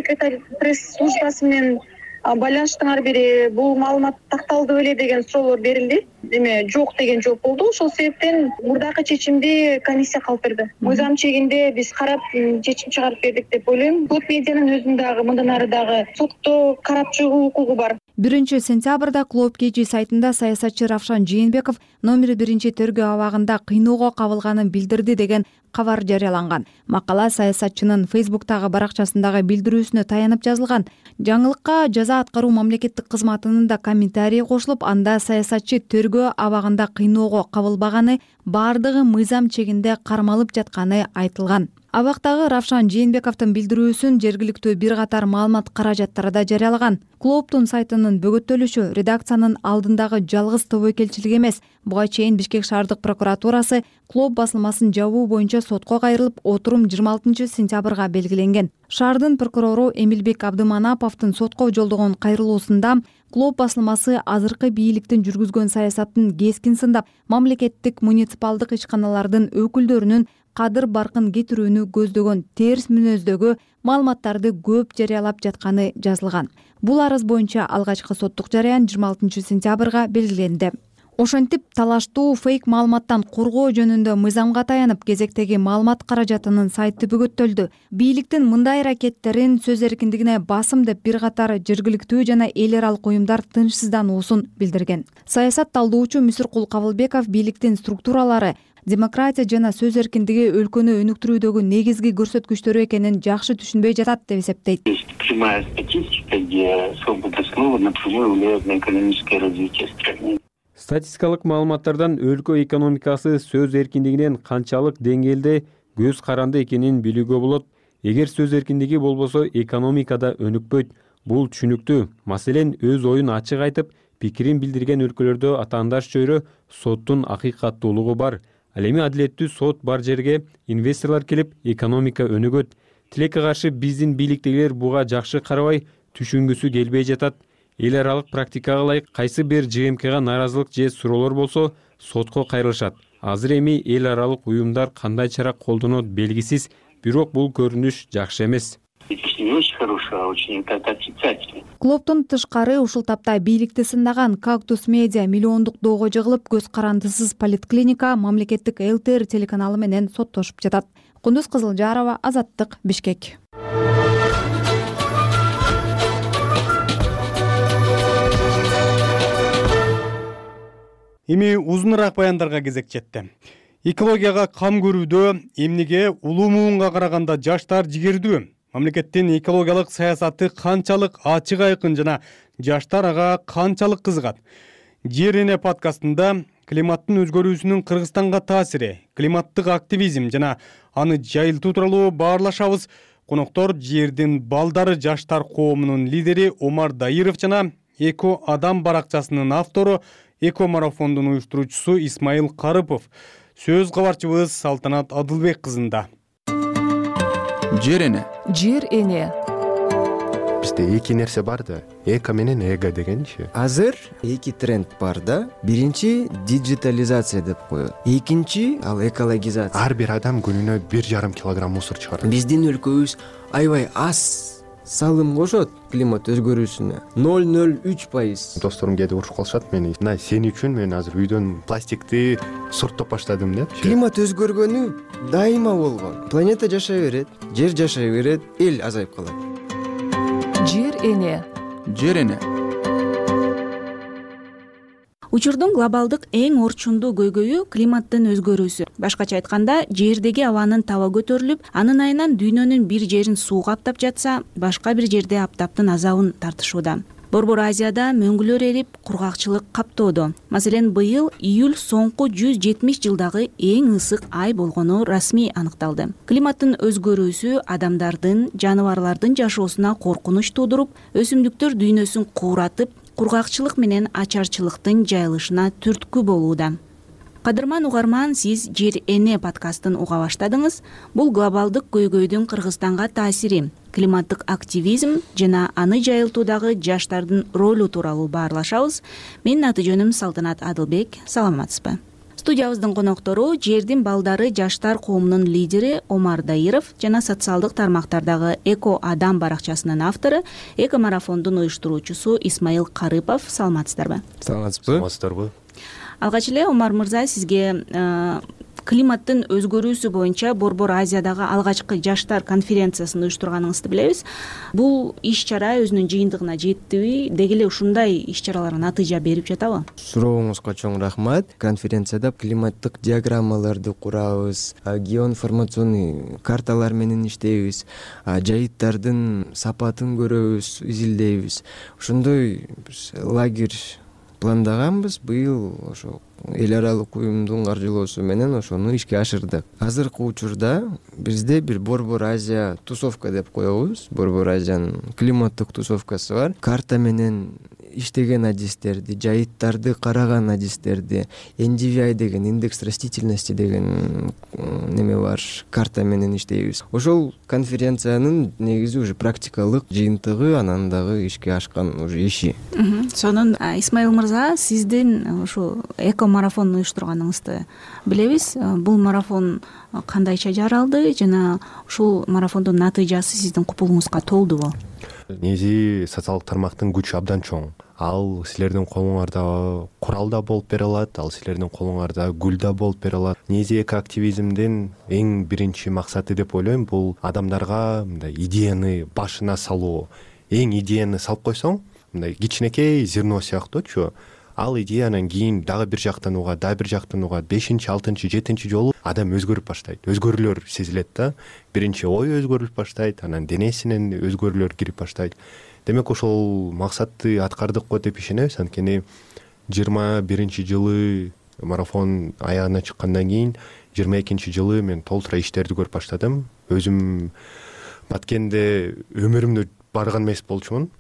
службасы менен байланыштын ар бири бул маалымат такталды беле деген суроолор берилди. Эми жок деген жооп болду. Ошол себептен мурдакы чечимди комиссия калып берди. Мыйзам чегинде биз карап чечим чыгарып бердик деп ойлойм. Клоп медианын өзүнүн дагы мындан ары дагы сотто карап чыгуу укугу бар. 1 сентябрда Клоп KG сайтында саясатчы Равшан Жээнбеков номер 1 тергөө абагында кыйноого кабылганын билдирди деген кабар жарыяланган. Макала саясатчынын Facebook'тагы баракчасындагы билдирүүсүнө таянып жазылган. Жаңылыкка жаза аткаруу мамлекеттик кызматынын да комментарий кошулуп, анда саясатчы тергөө абагында кыйноого кабылбаганы бардыгы мыйзам чегинде кармалып жатканы айтылган. Абактагы Равшан Жээнбековдун билдирүүсүн жергиликтүү бир катар маалымат каражаттары да жарыялаган. Клоптун сайтынын бөгөттөлүшү редакциянын алдындагы жалгыз тобойкелчилик эмес. Буга чейин Бишкек шаардык прокуратурасы Клоп басылмасын жабуу боюнча сотко кайрылып, отурум 26 сентябрга белгиленген. Шаардын прокурору Эмилбек Абдыманаповдун сотко жолдогон кайрылуусунда Клоп басылмасы азыркы бийликтин жүргүзгөн саясатын кескин сындап, мамлекеттик муниципалдык ишканалардын өкүлдөрүнүн кадыр баркын кетирүүнү көздөгөн терс мүнөздөгү маалыматтарды көп жарыялап жатканы жазылган. Бул арыз боюнча алгачкы соттук жарыян 26 сентябрга белгиленди. Ошентип, талаштуу фейк маалыматтан коргоо жөнүндө мыйзамга таянып, кезектеги маалымат каражатынын сайты бөгөттөлдү. Бийликтин мындай аракеттерин сөз эркиндигине басым деп бир катар жергиликтүү жана эл аралык уюмдар тынчсыздануусун билдирген. Саясат талдоочу Мүсүркул Кабылбеков бийликтин структуралары демократия жана сөз эркиндиги өлкөнү өнүктүрүүдөгү негизги көрсөткүчтөрү экенин жакшы түшүнбөй жатат деп эсептейт. Прямая статистика, где свобода слова напрямую влияет на экономическое развитие страны. Статистикалык маалыматтардан өлкө экономикасы сөз эркиндигинен канчалык деңгээлде көз каранды экенин билүүгө болот. Эгер сөз эркиндиги болбосо, экономикада өнүкпөйт. Бул түшүнүктүү. Маселен, өз оюн ачык айтып, пикирин билдирген өлкөлөрдө атаандаш чөйрө соттун акыйкаттуулугу бар. Ал эми адилеттүү сот бар жерге инвесторлор келип, экономика өнүгөт. Тилекке каршы биздин бийликтегилер буга жакшы карабай, түшүнгүсү келбей жатат. Эл аралык практикага ылайык кайсы бир ЖМКга нааразылык же суроолор болсо, сотко кайрылышат. Азыр эми эл аралык уюмдар кандай чара колдонот белгисиз, бирок бул көрүнүш жакшы эмес. Клубтун тышкары ушул тапта бийликти сындаган Кактус Медиа миллиондук доого жыгылып, көз карандысыз поликлиника мамлекеттик ЛТР телеканалы менен соттошуп жатат. Кундуз Кызылжарова, Азаттык, Бишкек. Эми узуныраак баяндарга кезек жетти. Экологияга кам көрүүдө эмнеге улуу муунга караганда жаштар жигердүү? Мамлекеттин экологиялык саясаты канчалык ачык айкын жана жаштар ага канчалык кызыгат? Жер эне подкастында климаттын өзгөрүүсүнүн Кыргызстанга таасири, климаттык активизм жана аны жайылтуу тууралуу баарлашабыз. Коноктор жердин балдары жаштар коомунун лидери Омар Дайыров жана Эко Адам баракчасынын автору, Эко марафондун уюштуруучусу Исмайыл Карыпов. Сөз кабарчыбыз Салтанат Адылбек кызында. Жер эне. Жер эне. Бизде эки нерсе бар да, эко менен эго дегенчи. Азыр эки тренд бар да. Биринчи диджитализация деп коет. Экинчи ал экологизация. Ар бир адам күнүнө 1,5 килограмм мусор чыгарат. Биздин өлкөбүз аябай аз салым кошот климат өзгөрүүсүнө. 0,03%. Досторум кээде урушуп калышат мени. Мына сен үчүн мен азыр үйдөн пластикти сурттоп баштадым деп. Климат өзгөргөнү дайыма болгон. Планета жашай берет, жер жашай берет, эл азайып калат. Жер эне. Жер эне. Учурдун глобалдык эң орчундуу көйгөйү климаттын өзгөрүүсү. Башкача айтканда, жердеги абанын таба көтөрүлүп, анын айынан дүйнөнүн бир жерин суу каптап жатса, башка бир жерде аптаптын азабын тартышууда. Борбор Азияда мөңгүлөр эрип, кургакчылык каптоодо. Маселен, быйыл июль соңку 170 жылдагы эң ысык ай болгону расмий аныкталды. Климаттын өзгөрүүсү адамдардын, жаныбарлардын жашоосуна коркунуч туудуруп, өсүмдүктөр дүйнөсүн кууратып, кургакчылык менен ачарчылыктын жайылышына түрткү болууда. Кадырман угарман, сиз Жер эне подкастын уга баштадыңыз. Бул глобалдык көйгөйдүн Кыргызстанга таасири, климаттык активизм жана аны жайылтуудагы жаштардын ролу тууралуу баарлашабыз. Менин аты жөнүм Салтанат Адылбек. Саламатсызбы? Студиябыздын коноктору жердин балдары жаштар коомунун лидери Омар Дайыров жана социалдык тармактардагы Эко Адам баракчасынын автору, Эко марафондун уюштуруучусу Исмайыл Карыпов. Саламатсыздарбы? Саламатсыздарбы? Алгач эле Омар мырза, сизге климаттын өзгөрүүсү боюнча Борбор Азиядагы алгачкы жаштар конференциясын уюштурганыңызды билебиз. Бул иш-чара өзүнүн жыйынтыгына жеттиби? Деги эле ушундай иш-чаралар натыйжа берип жатабы? Сурооңузга чоң рахмат. Конференцияда климаттык диаграммаларды курабыз, геоинформационный карталар менен иштейбиз, жайыттардын сапатын көрөбүз, изилдейбиз. Ошондой лагерь пландаганбыз. Быйыл ошо эл аралык уюмдун каржылоосу менен ошону ишке ашырдык. Азыркы учурда бизде бир Борбор Азия тусовка деп коебуз. Борбор Азиянын климаттык тусовкасы бар. Карта менен иштеген адистерди, жайыттарды караган адистерди, NDVI деген индекс растительности деген неме бар, карта менен иштейбиз. Ошол конференциянын негизи уже практикалык жыйынтыгы, анан дагы ишке ашкан уже иши. Сонун Исмаил мырза, сиздин ушу эко марафон уюштурганыңызды билебиз. Бул марафон кандайча жаралды жана ушул марафондун натыйжасы сиздин купулуңузга толдубу? Негизи социалдык тармактын күчү абдан чоң. Ал силердин колуңарда курал да болуп бере алат, ал силердин колуңарда гүл да болуп бере алат. Негизи экоактивизмдин эң биринчи максаты деп ойлойм, бул адамдарга мындай идеяны башына салуу. Эң идеяны салып койсоң, мындай кичинекей зерно сыяктуучу, ал идеянан кийин дагы бир жактанууга, дагы бир жактанууга 5-чи, 6-чы, 7-чи жолу адам өзгөрүп баштайт. Өзгөрүүлөр сезилет да. Биринчи ой өзгөрүп баштайт, анан денесинен өзгөрүүлөр кирип баштайт. Демек ошол максатты аткардык го деп ишенебиз. Анткени 21-чи жылы марафон аягына чыккандан кийин 22-чи жылы мен толтура иштерди көрүп баштадым. Өзүм Баткенде өмүрүмдө барган эмес болчумун.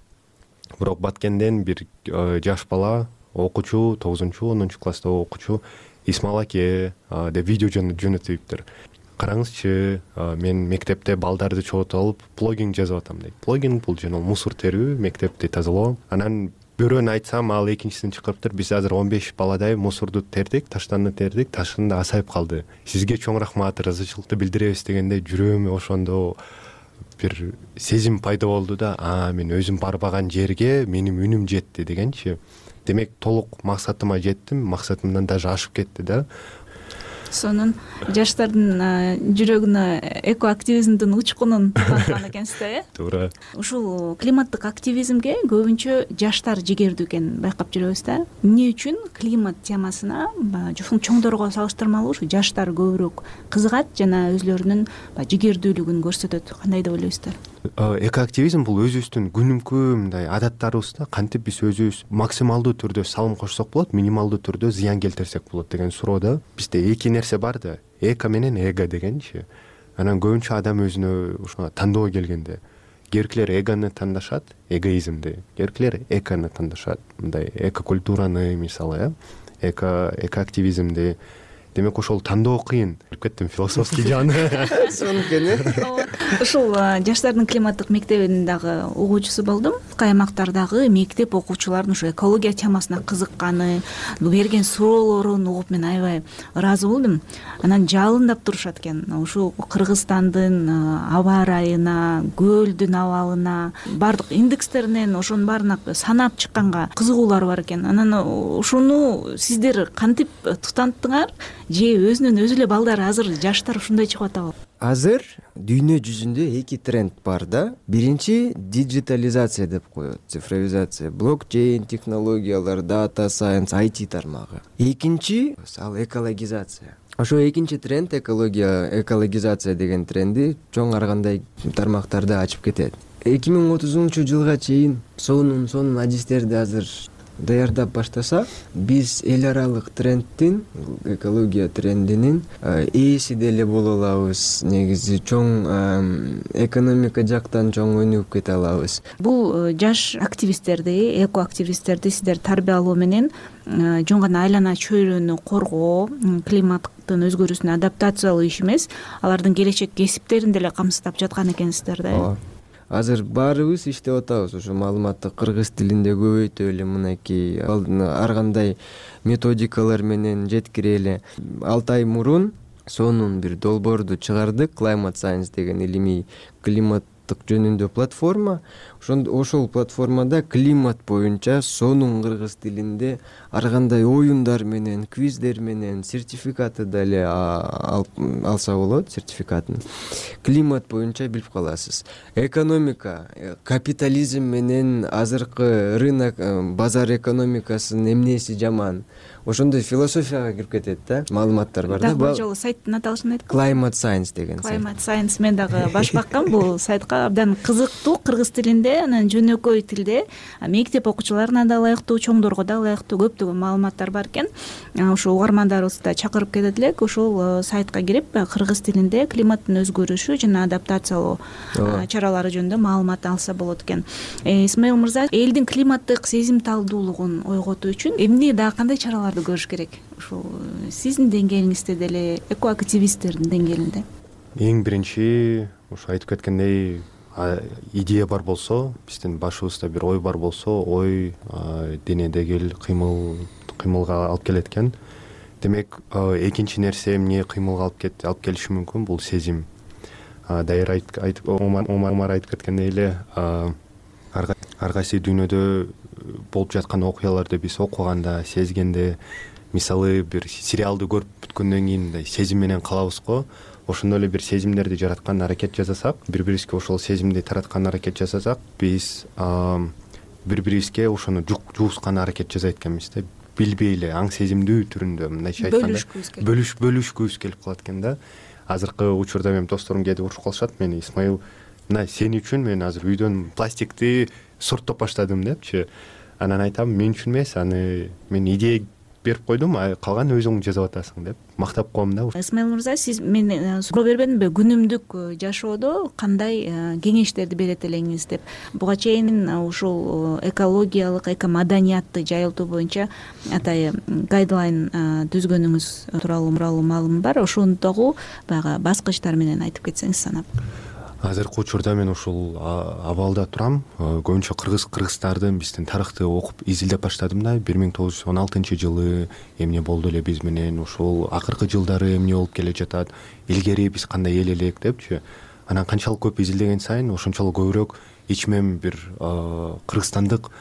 Бирок Баткенден бир жаш бала, окуучу, 9-10 класста окуучу Исмаил аке деп видео жөнөтүптүр. Караңызчы, мен мектепте балдарды чогултуп алып плогинг жазып атам дейт. Плогинг бул жана мусор терүү, мектепти тазалоо. Анан бирөөнө айтсам, ал экинчисин чакырыптыр. Биз азыр 15 баладай мусорду тердик, таштанды тердик, ташын да асайып калды. Сизге чоң рахмат, ыраазычылыкты билдиребиз дегенде жүрөгүмө ошондо бир сезим пайда болду да, мен өзүм барбаган жерге менин үнүм жетти дегенчи. Демек толук максатыма жеттим, максатымдан даже ашып кетти да. Сонун жаштардын жүрөгүнө экоактивизмдин учкунун таныткан экенсиз да, э? Туура. Ушул климаттык активизмге көбүнчө жаштар жигердүү экенин байкап жүрөбүз да. Эмне үчүн климат темасына чоңдорго салыштырмалуу ушу жаштар көбүрөөк кызыгат жана өзлөрүнүн жигердүүлүгүн көрсөтөт? Кандай деп ойлойсуздар? Экоактивизм бул өзүбүздүн күнүмкү мындай адаттарыбызда кантип биз өзүбүз максималдуу түрдө салым кошсок болот, минималдуу түрдө зыян келтирсек болот деген суроода бизде эки нерсе бар да, эко менен эго дегенчи. Анан көбүнчө адам өзүнө ушуна тандоо келгенде керкилер эгону тандашат, эгоизмди, керкилер экону тандашат. Мындай экокультураны мисалы, экоактивизмди. Демек ошол тандоо кыйын. Кеттим философский жагына. Сонун экен, э? Ушул жаштардын климаттык мектебинин дагы угуучусу болдум. Аймактардагы мектеп окуучулардын ушу экология темасына кызыкканы, берген суроолорун угуп мен аябай ыраазы болдум. Анан жалындап турушат экен. Ушу Кыргызстандын аба ырайына, көлдүн абалына, бардык индекстеринен ошонун баарына санап чыкканга кызыгуулар бар экен. Анан ушуну сиздер кантип тутанттыңар? Же өзүнөн өзү эле балдар азыр жаштар ушундай чыгып атабы? Азыр дүйнө жүзүндө эки тренд бар да. Биринчи диджитализация деп коет, цифровизация, блокчейн технологиялар, дата сайенс, IT тармагы. Экинчи ал экологизация. Ошо экинчи тренд экологизация деген тренди чоң аргандай тармактарды ачып кетет. 2030-жылга чейин сонун адистерди азыр даярдап баштасак, биз эл аралык трендтин, экология трендинин ээси деле боло алабыз. Негизи чоң экономика жактан чоң өнүгүп кете алабыз. Бул жаш активисттерди, экоактивисттерди сиздер тарбиялоо менен жөн гана айлана чөйрөнү коргоо, климаттын өзгөрүүсүнө адаптациялоо иш эмес, алардын келечек кесиптерин деле камсыздап жаткан экенсиздер да. Азыр баарыбыз иштеп атабыз. Ошо маалыматты кыргыз тилинде көбөйтөлү, мынакей ар кандай методикалар менен жеткирели. 6 ай мурун сонун бир долбоорду чыгардык. Climate Science деген илимий климаттык жөнүндө платформа. Ошол платформада климат боюнча сонун кыргыз тилинде ар кандай оюндар менен, квиздер менен сертификаты деле алса болот, сертификатын. Климат боюнча билип каласыз. Экономика, капитализм менен азыркы рынок, базар экономикасынын эмнеси жаман. Ошондой философияга кирип кетет да, маалыматтар бар да. Бул жолу сайттын аталышын айткан. Climate Science деген. Climate Science мен дагы баш баккам. Бул сайтка абдан кызыктуу кыргыз тилинде тилинде, анан жөнөкөй тилде мектеп окуучуларына да ылайыктуу, чоңдорго да ылайыктуу көптөгөн маалыматтар бар экен. Ошо угармандарыбызды да чакырып кетет элек, ушул сайтка кирип кыргыз тилинде климаттын өзгөрүшү жана адаптациялоо чаралары жөнүндө маалымат алса болот экен. Исмаил мырза, элдин климаттык сезимталдуулугун ойготуу үчүн эмне дагы кандай чараларды көрүш керек? Ушул сиздин деңгээлиңизде деле, экоактивисттердин деңгээлинде. Эң биринчи ушу айтып кеткендей, идея бар болсо, биздин башыбызда бир ой бар болсо, ой денедеги кыймылга алып келет экен. Демек, экинчи нерсе эмне кыймылга алып келиши мүмкүн, бул сезим. Дайыр Омар айтып кеткендей эле, ар кайсы дүйнөдө болуп жаткан окуяларды биз окуганда, сезгенде, мисалы бир сериалды көрүп бүткөндөн кийин мындай сезим менен калабыз го. Ошондой эле бир сезимдерди жараткан аракет жасасак, бири-бирибизге ошол сезимди тараткан аракет жасасак, биз бири-бирибизге ошону жуускан аракет жасайт экенбиз да. Билбей эле аң сезимдүү түрүндө, мындайча айтканда бөлүшкүбүз келип калат экен да. Азыркы учурда менин досторум кээде урушуп калышат мени: Исмаил, мына сен үчүн мен азыр үйдөн пластикти сорттоп баштадым депчи. Анан айтам, мен үчүн эмес, аны мен идея берип койдум, калган өзүң жасап атасың деп мактап коем да. Исмаил мырза, сиз мен суроо бербедимби, күнүмдүк жашоодо кандай кеңештерди берет элеңиз деп. Буга чейин ушул экологиялык, экомаданиятты жайылтуу боюнча атайын гайдлайн түзгөнүңүз тууралуу маалым бар. Ошону дагы баягы баскычтар менен айтып кетсеңиз санап. Азыркы учурда мен ушул абалда турам. Көбүнчө кыргыздардын биздин тарыхты окуп изилдеп баштадым да. 1916-жылы эмне болду эле биз менен, ушул акыркы жылдары эмне болуп келе жатат, илгери биз кандай эл элек депчи. Анан канчалык көп изилдеген сайын ошончолук көбүрөөк ичмем бир кыргызстандык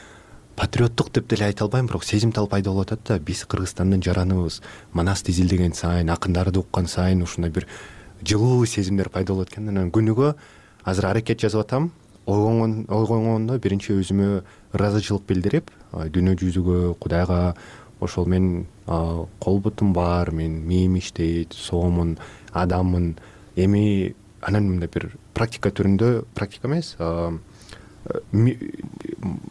патриоттук деп деле айта албайм, бирок сезимтал пайда болуп атат да. Биз Кыргызстандын жараныбыз. Манасты изилдеген сайын, акындарды уккан сайын ушундай бир жылуу сезимдер пайда болот экен. Анан күнүгө азыр аракет жасап атам. Ойгонгондо биринчи өзүмө ыраазычылык билдирип, дүйнө жүзүгө, Кудайга, ошол мен кол бутум бар, мен мээм иштейт, соомун, адаммын. Эми анан мындай бир практика түрүндө, практика эмес,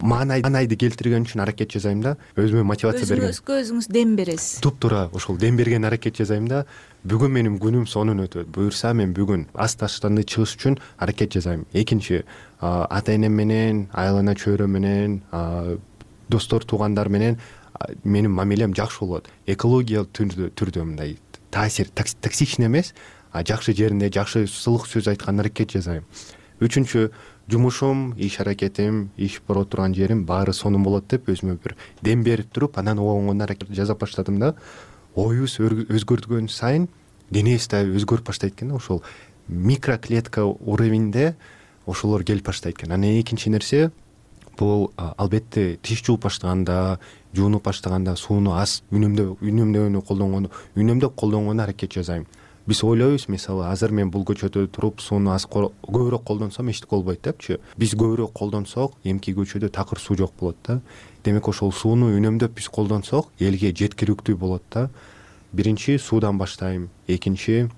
маанайды келтирген үчүн аракет жасайм да. Өзүмө мотивация берген. Өзүңүз дем бересиз. Туп-туура ошол дем берген аракет жасайм да. Бүгүн менин күнүм сонун өтөт. Буюрса мен бүгүн асташтанды чыгыш үчүн аракет жасайм. Экинчи, ата-энем менен, айлана чөйрө менен, достор, туугандар менен менин мамилем жакшы болот. Экологиялык түрдө мындай таасир токсичный эмес, жакшы жеринде жакшы сылык сөз айткан аракет жасайм. Үчүнчү, жумушум, иш аракетим, иш бара турган жерим баары сонун болот деп өзүмө бир дем берип туруп, анан оңгон аракет жасап баштадым да. Оюбуз өзгөрткөн сайын денебиз да өзгөрүп баштайт экен. Ошол микроклетка уровеньде ошолор келип баштайт экен. Анан экинчи нерсе, бул албетте тиш жууп баштаганда, жуунуп баштаганда сууну аз үнөмдөп колдонгону аракет жасайм. Биз ойлойбуз, мисалы, азыр мен бул көчөдө туруп сууну аз көбүрөөк колдонсом эчтеке болбойт депчи. Биз көбүрөөк колдонсок, эмки көчөдө такыр суу жок болот да. Демек ошол сууну үнөмдөп биз колдонсок, элге жеткиликтүү болот да. Биринчи суудан баштайм. Экинчи,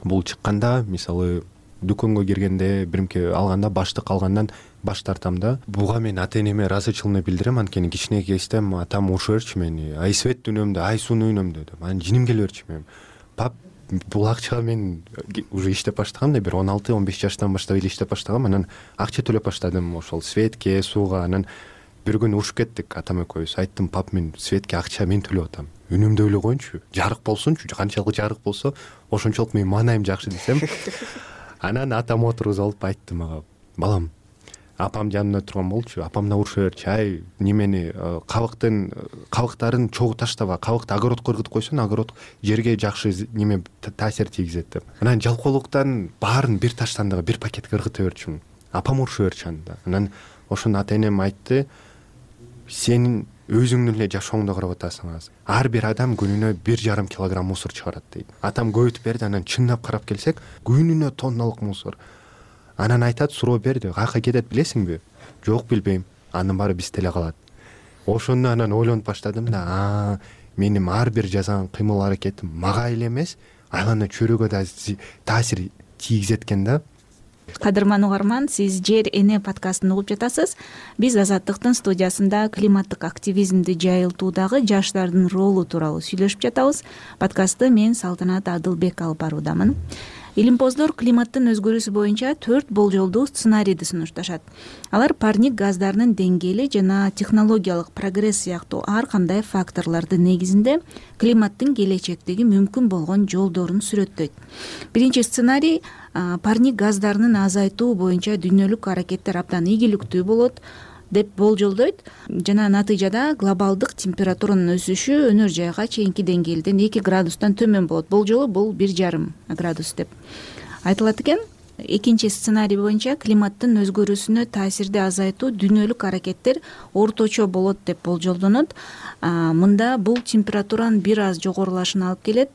бул чыкканда, мисалы, дүкөнгө киргенде, биринки алганда баштык алгандан баш тартам да. Буга мен ата-энеме ыраазычылыгымды билдирем. Анткени кичине кезден атам урушуп берчү мени. Ай свет үнөмдө, ай сууну үнөмдө деп. Анан жиним келе берчү мен. Пап, бул акчага мен уже иштеп баштагам да, бир 16-15 жаштан баштап эле иштеп баштагам. Анан акча төлөп баштадым ошол светке, сууга. Анан бир күнү урушуп кеттик атам экөөбүз. Айттым, пап, мен светке акча мен төлөп атам. Үнөмдөй эле коеюнчу, жарык болсунчу, канчалык жарык болсо ошончолук менин маанайым жакшы десем. Анан атам отургузуп алып айттым ага: балам, апам жанымда турган болчу, апам да урушуп берчү, ай немени кабыктарын чогуу таштаба, кабыкты огородко ыргытып койсоң, огород жерге жакшы неме таасир тийгизет деп. Анан жалкоолуктан баарын бир таштандыга, бир пакетке ыргыта берчүмүн. Апам урушуп берчү анда. Анан ошону ата-энем айтты: сен өзүңдүн эле жашооңду карап атасың азыр. Ар бир адам күнүнө 1,5 килограмм мусор чыгарат дейт. Атам көбөйтүп берди. Анан чындап карап келсек, күнүнө тонналык мусор. Анан айтат, суроо берди: каяка кетет билесиңби? Жок, билбейм. Анын баары бизде эле калат. Ошондо анан ойлонуп баштадым да, менин ар бир жасаган кыймыл аракетим мага эле эмес, айлана чөйрөгө да таасир тийгизет экен да. кадырман угарман, сиз Жер эне подкастын угуп жатасыз. Биз Азаттыктын студиясында климаттык активизмди жайылтуудагы жаштардын ролу тууралуу сүйлөшүп жатабыз. Подкастты мен Салтанат Адылбек алып баруудамын. Илимпоздор климаттын өзгөрүүсү боюнча 4 болжолдуу сценарийди сунушташат. Алар парник газдарынын деңгээли жана технологиялык прогресс сыяктуу ар кандай факторлордун негизинде климаттын келечектеги мүмкүн болгон жолдорун сүрөттөйт. Биринчи сценарий парник газдарынын азайтуу боюнча дүйнөлүк аракеттер абдан ийгиликтүү болот деп болжолдойт жана натыйжада глобалдык температуранын өсүшү өнөр жайга чейинки деңгээлден 2 градустан төмөн болот. Болжолу бул 1,5 градус деп айтылат экен. Экинчи сценарий боюнча климаттын өзгөрүүсүнө таасирди азайтуу дүйнөлүк аракеттер орточо болот деп болжолдонот. Мында бул температуранын бир аз жогорулашына алып келет,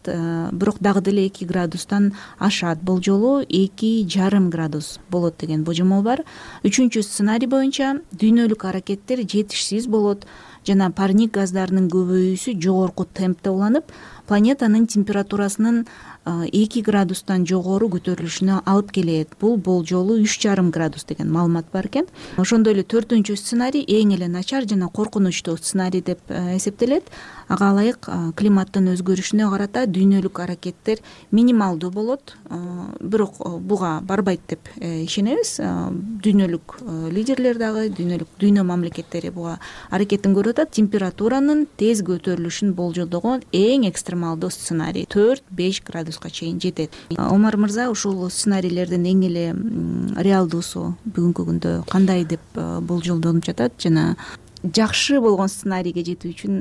бирок дагы деле 2 градустан ашат. Болжолу 2,5 градус болот деген божомол бар. Үчүнчү сценарий боюнча дүйнөлүк аракеттер жетишсиз болот жана парник газдарынын көбөйүүсү жогорку темпте уланып, планетанын температурасынын 2 градустан жогору көтөрүлүшүнө алып келет. Бул болжолу 3,5 градус деген маалымат бар экен. Ошондой эле 4-үнчү сценарий эң эле начар жана коркунучтуу сценарий деп эсептелет. Ага ылайык климаттын өзгөрүшүнө карата дүйнөлүк аракеттер минималдуу болот, бирок буга барбайт деп ишенебиз. Дүйнөлүк лидерлер дагы, дүйнө мамлекеттери буга аракетин көрүп атат. Температуранын тез көтөрүлүшүн болжолдогон эң экстремалдуу сценарий 4-5 градуска чейин жетет. Омар мырза, ушул сценарийлердин эң эле реалдуусу бүгүнкү күндө кандай деп болжолдонуп жатат жана жакшы болгон сценарийге жетүү үчүн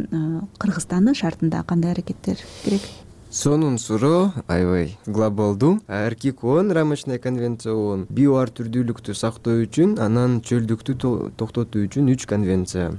Кыргызстандын шартында кандай аракеттер керек? Сонун суроо аябай глобалдуу. РККО рамочная конвенция ООН био ар түрдүүлүктү сактоо үчүн, анан чөлдүктү токтотуу үчүн 3 конвенция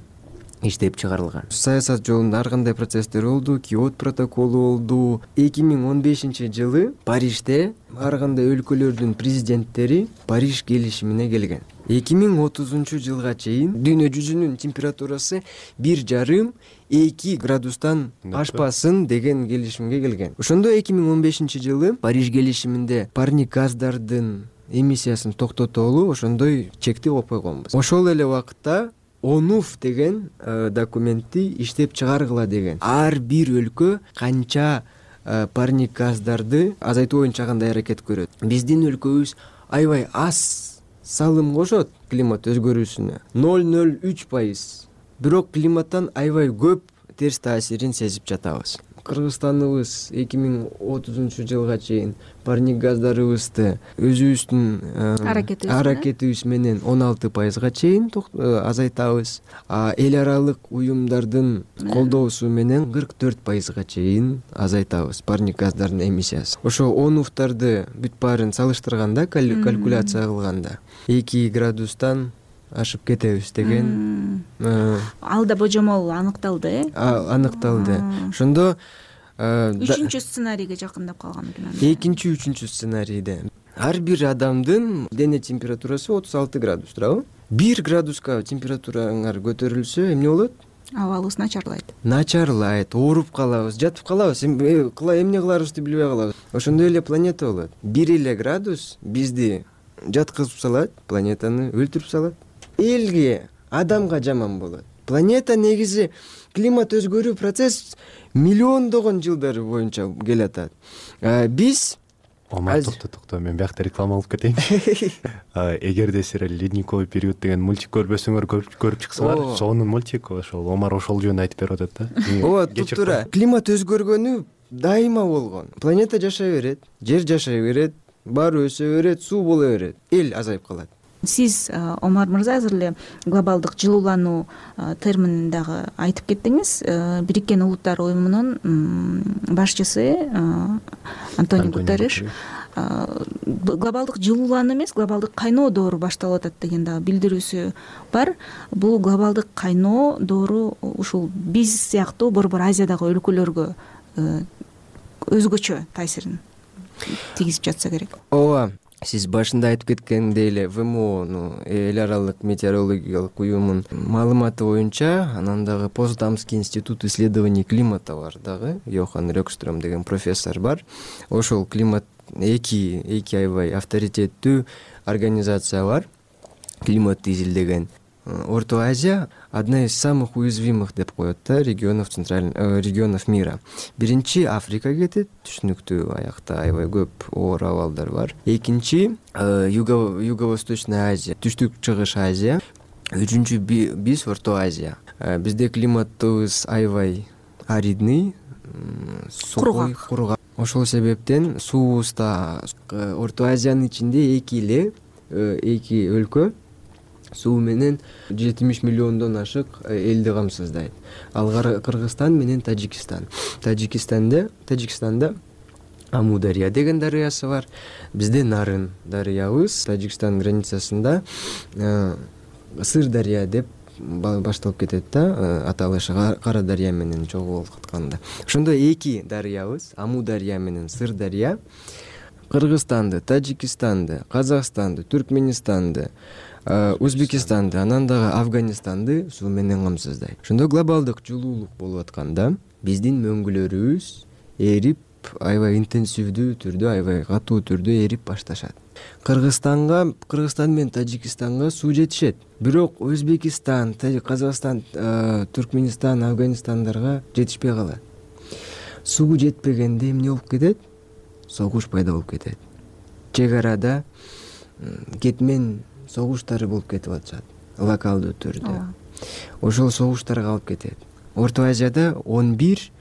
иштеп чыгарылган. Саясат жолунда ар кандай процесстер болду, Киото протоколу болду. 2015-жылы Парижде ар кандай өлкөлөрдүн президенттери Париж келишимине келген. 2030-жылга чейин дүйнө жүзүнүн температурасы 1,5-2 градустан ашпасын деген келишимге келген. Ошондо 2015-жылы Париж келишиминде парник газдардын эмиссиясын токтотолу ошондой чекти коюп койгонбуз. Ошол эле убакытта ОНУФ деген документти иштеп чыгаргыла деген. Ар бир өлкө канча парник газдарды азайтуу боюнча кандай аракет көрөт. Биздин өлкөбүз аябай аз салым кошот климат өзгөрүүсүнө, 0,03%. Бирок климаттан аябай көп терс таасирин сезип жатабыз. Кыргызстаныбыз 2030-жылга чейин парник газдарыбызды өзүбүздүн аракетибиз менен 16%га чейин азайтабыз. Эл аралык уюмдардын колдоосу менен 44%га чейин азайтабыз парник газдарынын эмиссиясын. Ошо ОНУФтарды бүт баарын салыштырганда, калькуляция кылганда 2 градустан ашып кетебиз деген. Ал да божомол аныкталды, Аныкталды. Ошондо 3-үнчү сценарийге жакындап калган экен. 2-3 сценарийде ар бир адамдын дене температурасы 36 градус турабы? 1 градуска температураңар көтөрүлсө эмне болот? Абалыбыз начарлайт. Начарлайт, ооруп калабыз, жатып калабыз, эмне кыларыбызды билбей калабыз. Ошондой эле планета болот. 1 эле градус бизди жаткызып салат, планетаны өлтүрүп салат. Элге, адамга жаман болот. Планета негизи климат өзгөрүү процесс миллиондогон жылдар боюнча келатат. Биз Омар, токто, мен биякта реклама алып кетейин. Эгерде силер ледниковый период деген мультик көрбөсөңөр көрүп чыксаңар, сонун мультик ошол. Омар ошол жөнүндө айтып берип атат да. Ооба, туура. Климат өзгөргөнү дайыма болгон. Планета жашай берет, жер жашай берет, баары өсө берет, суу боло берет, эл азайып калат. Сиз, Омар мырза, азыр эле глобалдык жылуулануу терминин дагы айтып кеттиңиз. Бириккен Улуттар уюмунун башчысы Антонио Гутерриш глобалдык жылуулануу эмес, глобалдык кайноо доору башталып атат деген дагы билдирүүсү бар. Бул глобалдык кайноо доору ушул биз сыяктуу Борбор Азиядагы өлкөлөргө өзгөчө таасирин тийгизип жатса керек. Ооба. Сиз башында айтып кеткендей эле ВМО, эл аралык метеорологиялык уюмунун маалыматы боюнча, анан дагы Потсдамский институт исследований климата бар дагы, Йохан Рёкстрöm деген профессор бар. Ошол климат эки аябай авторитеттүү организация бар, климатты изилдеген. Орто Азия одна из самых уязвимых деп коет да регионов мира. Биринчи Африка кетет, түшүнүктүү, аякта аябай көп оор абалдар бар. Экинчи Юго-Восточная Азия, Түштүк Чыгыш Азия. Үчүнчү биз Орто Азия. Бизде климатыбыз аябай аридный, кургак. Ошол себептен суубузда Орто Азиянын ичинде эки өлкө суу менен 70 миллиондон ашык элди камсыздайт. Ал Кыргызстан менен Тажикстан. Тажикстанда Амудария деген дарыясы бар. Бизде Нарын дарыябыз. Тажикстан границасында Сыр дарыя деп башталып кетет да, аталышы Кара дарыя менен чогултканда. Ошондо эки дарыябыз, Амудария менен Сыр дарыя, Кыргызстанды, Тажикстанды, Казакстанды, Түркменистанды, Өзбекистанды, анан дагы Афганистанды суу менен камсыздайт. Ошондо глобалдык жылуулук болуп атканда биздин мөңгүлөрүбүз эрип, аябай интенсивдүү түрдө, аябай катуу түрдө эрип башташат. Кыргызстан менен Тажикстанга суу жетишет. Бирок Өзбекистан, Казакстан, Түркмөнистан, Афганистандарга жетишпей калат. Суу жетпегенде эмне болуп кетет? Согуш пайда болуп кетет. Чек арада кетмен согуштары болуп кетип атышат, локалдуу түрдө. Ошол согуштарга алып кетет. Орто Азияда 11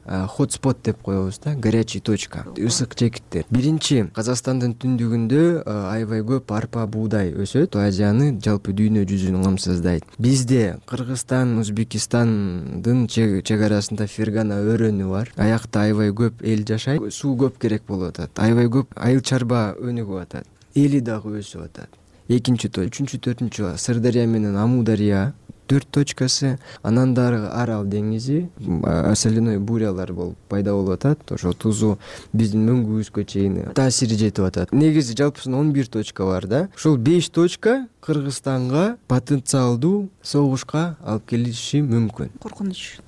хотспот деп коебуз да, горячий точка, ысык чекиттер. Биринчи, Казакстандын түндүгүндө аябай көп арпа, буудай өсөт, Азияны жалпы дүйнө жүзүн камсыздайт. Бизде Кыргызстан, Өзбекистандын чек арасында Фергана өрөөнү бар. Аякта аябай көп эл жашайт, суу көп керек болуп атат. Аябай көп айыл чарба өнүгүп атат. Эли дагы өсүп атат. Экинчи, үчүнчү, төртүнчү Сырдария менен Амудария 4 точкасы, анан дагы Арал деңизи, соляной бурялар болуп пайда болуп атат. Ошо тузу биздин мөңгүбүзгө чейин таасири жетип атат. Негизи жалпысынан 11 точка бар да. Ошол 5 точка Кыргызстанга потенциалдуу согушка алып келиши мүмкүн.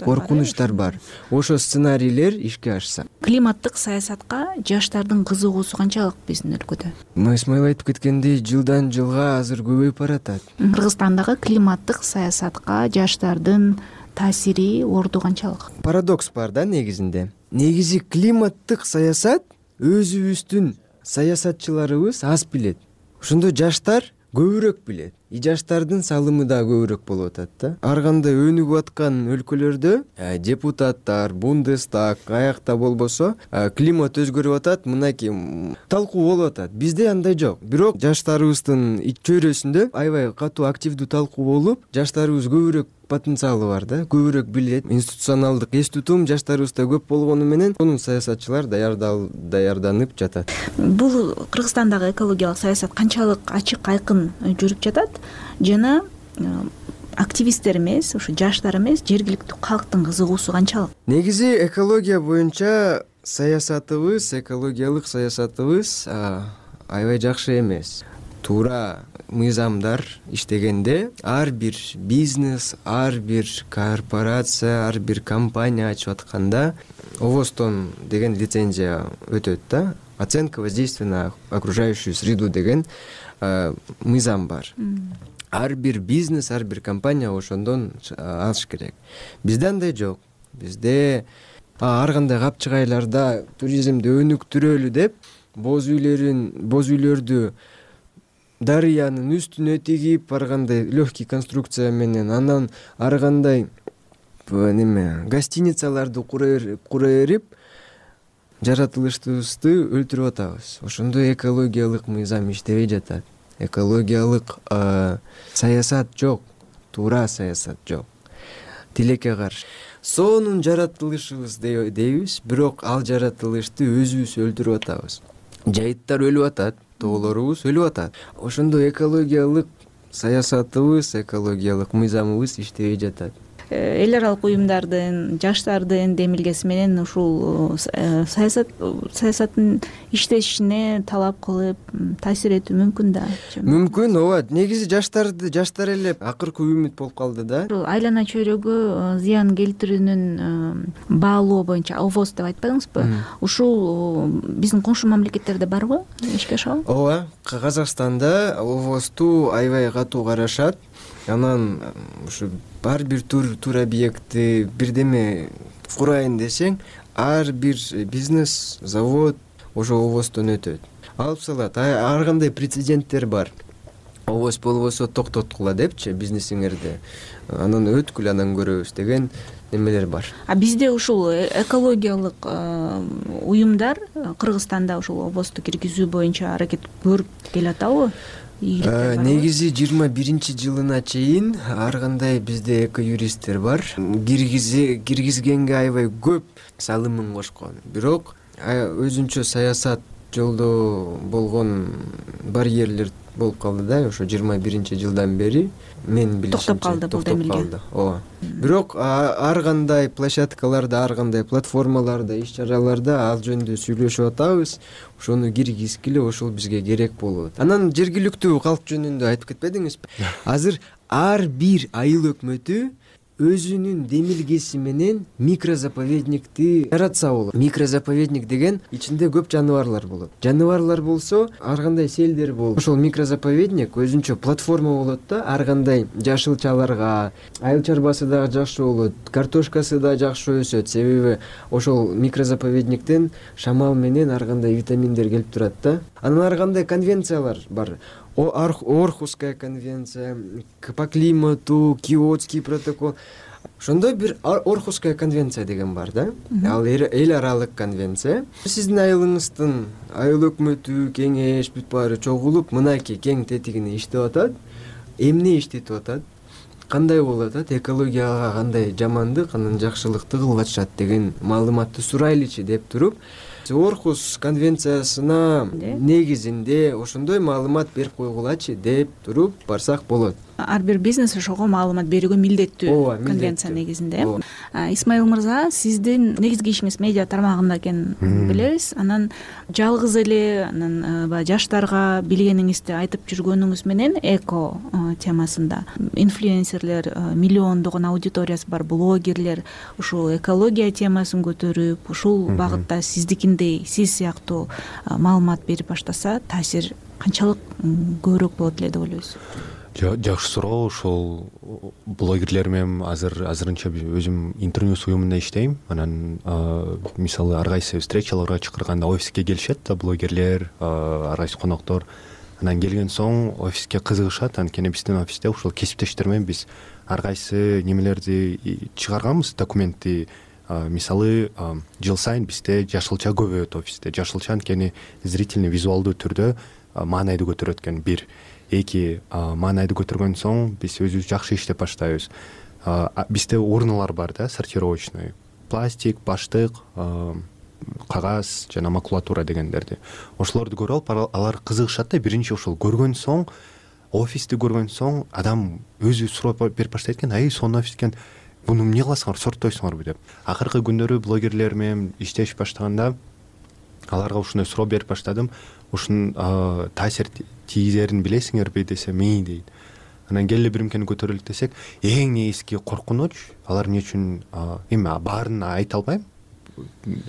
Коркунучтар бар. Ошо сценарийлер ишке ашса. Климаттык саясатка жаштардын кызыгуусу канчалык биздин өлкөдө? Исмаил айтып кеткендей, жылдан жылга азыр көбөйүп баратат. Кыргызстандагы климаттык саясатка жаштардын таасири, орду канчалык? Парадокс бар да негизинде. Негизи климаттык саясат өзүбүздүн саясатчыларыбыз аз билет. Ошондо жаштар көбүрөөк билет. Жаштардын салымы да көбүрөөк болуп атат да. Ар кандай өнүгүп аткан өлкөлөрдө депутаттар, Бундестаг аякта болбосо климат өзгөрүп атат, мынакей талкуу болуп атат. Бизде андай жок. Бирок жаштарыбыздын чөйрөсүндө аябай катуу активдүү талкуу болуп, жаштарыбыз көбүрөөк потенциалы бар да, көбүрөөк билет. Институционалдык эс тутум жаштарыбызда көп болгону менен анын саясатчылар даярданып жатат. Бул Кыргызстандагы экологиялык саясат канчалык ачык, айкын жүрүп жатат жана активисттер эмес, ошо жаштар эмес, жергиликтүү калктын кызыгуусу канчалык? Негизи экология боюнча саясатыбыз, экологиялык саясатыбыз аябай жакшы эмес. Туура мыйзамдар иштегенде ар бир бизнес, ар бир корпорация, ар бир компания ачып атканда ОВОСтон деген лицензия өтөт да. Оценка воздействия на окружающую среду деген мыйзам бар. Ар бир бизнес, ар бир компания ошондон алыш керек. Бизде андай жок. Бизде ар кандай капчыгайларда туризмди өнүктүрөлү деп боз үйлөрдү дарыянын үстүнө тигип, ар кандай легкий конструкция менен, анан ар кандай гостиницаларды кура эрип жаратылышыбызды өлтүрүп атабыз. Ошондо экологиялык мыйзам иштебей жатат. Экологиялык саясат жок, туура саясат жок. Тилекке каршы. Сонун жаратылышыбыз дейбиз, бирок ал жаратылышты өзүбүз өлтүрүп атабыз. Жайыттар өлүп атат, тоолорубуз өлүп атат. Ошондо экологиялык саясатыбыз, экологиялык мыйзамыбыз иштебей жатат. эл аралык уюмдардын, жаштардын демилгеси менен ушул саясаттын иштешине талап кылып таасир этүү мүмкүн да. Мүмкүн, ооба. Негизи жаштар эле акыркы үмүт болуп калды да. Айлана чөйрөгө зыян келтирүүнүн баалоо боюнча ОВОз деп айтпадыңызбы? Ушул биздин коңшу мамлекеттерде барбы? Ишке ашабы? Ооба, Казакстанда ОВОзду аябай катуу карашат. Анан ушу ар бир тур объекти бирдеме курайын десең, ар бир бизнес, завод ошо ОВОздон өтөт. Алып салат. Ар кандай прецеденттер бар. ОВОз болбосо токтоткула депчи бизнесиңерди. Анан өткүл, анан көрөбүз деген немелер бар. Бизде ушул экологиялык уюмдар Кыргызстанда ушул ОВОзду киргизүү боюнча аракет көрүп келатабы? Негизи 21-жылына чейин ар кандай бизде эко-юристтер бар. Киргизгенге аябай көп салымын кошкон. Бирок өзүнчө саясат жолдо болгон барьерлер болуп калды да, ошо 21-жылдан бери мен билишимче токтоп калды бул демилге. Ооба. Бирок ар кандай площадкаларда, ар кандай платформаларда, иш-чараларда ал жөнүндө сүйлөшүп атабыз. Ошону киргизгиле, ошол бизге керек болот. Анан жергиликтүү калк жөнүндө айтып кетпедиңизби? Азыр ар бир айыл өкмөтү өзүнүн демилгеси менен микрозаповедникти жаратса болот. Микрозаповедник деген ичинде көп жаныбарлар болот. Жаныбарлар болсо, ар кандай селдер болот. Ошол микрозаповедник өзүнчө платформа болот да, ар кандай жашылчаларга, айыл чарбасы дагы жакшы болот, картошкасы да жакшы өсөт. Себеби ошол микрозаповедниктен шамал менен ар кандай витаминдер келип турат да. Анан ар кандай конвенциялар бар. Орхусская конвенция, по климату, Киотский протокол. Ошондой бир Орхусская конвенция деген бар да. Ал эл аралык конвенция. Сиздин айылыңыздын айыл өкмөтү, кеңеш бүт баары чогулуп, мынакей кең тетигине иштеп атат. Эмне иштетип атат? Кандай болуп атат? Экологияга кандай жамандык, анан жакшылыкты кылып атышат деген маалыматты сурайлычы деп туруп, Орхус конвенциясына негизинде ошондой маалымат берип койгулачы деп туруп барсак болот. Ар бир бизнес ошого маалымат берүүгө милдеттүү конвенция негизинде. Исмаил мырза, сиздин негизги ишиңиз медиа тармагында экенин билебиз. Анан жалгыз эле анан жаштарга билгениңизди айтып жүргөнүңүз менен эко темасында инфлюенсерлер, миллиондогон аудиториясы бар блогерлер ушул экология темасын көтөрүп, ушул багытта сиздикиндей, сиз сыяктуу маалымат берип баштаса, таасир канчалык көбүрөөк болот эле деп ойлойсуз? Жакшы суроо. Ошол блогерлер менен азырынча өзүм интернет уюмунда иштейм. Анан мисалы ар кайсы встречаларга чакырганда офиске келишет да блогерлер, ар кайсы коноктор. Анан келген соң офиске кызыгышат. Анткени биздин офисте ушул кесиптештер менен биз ар кайсы немелерди чыгарганбыз, документти. Мисалы жыл сайын бизде жашылча көбөйөт офисте. Жашылча анткени зрительный, визуалдуу түрдө маанайды көтөрөт экен. Бир, эки, маанайды көтөргөн соң биз өзүбүз жакшы иштеп баштайбыз. Бизде урналар бар да, сортировочный. Пластик, баштык, кагаз жана макулатура дегендерди. Ошолорду көрүп алып, алар кызыгышат да. Биринчи ошол көргөн соң, офисти көргөн соң адам өзү сурап берип баштайт экен. Сонун офис экен. Буну эмне кыласыңар, сорттойсуңарбы деп. Акыркы күндөрү блогерлер менен иштешип баштаганда аларга ушундай суроо берип баштадым. Ушунун таасир тийгизерин билесиңерби десем, дейт. Анан келе биримкени көтөрөлүк десек, эң негизги коркунуч, алар эмне үчүн эми баарын айта албайм,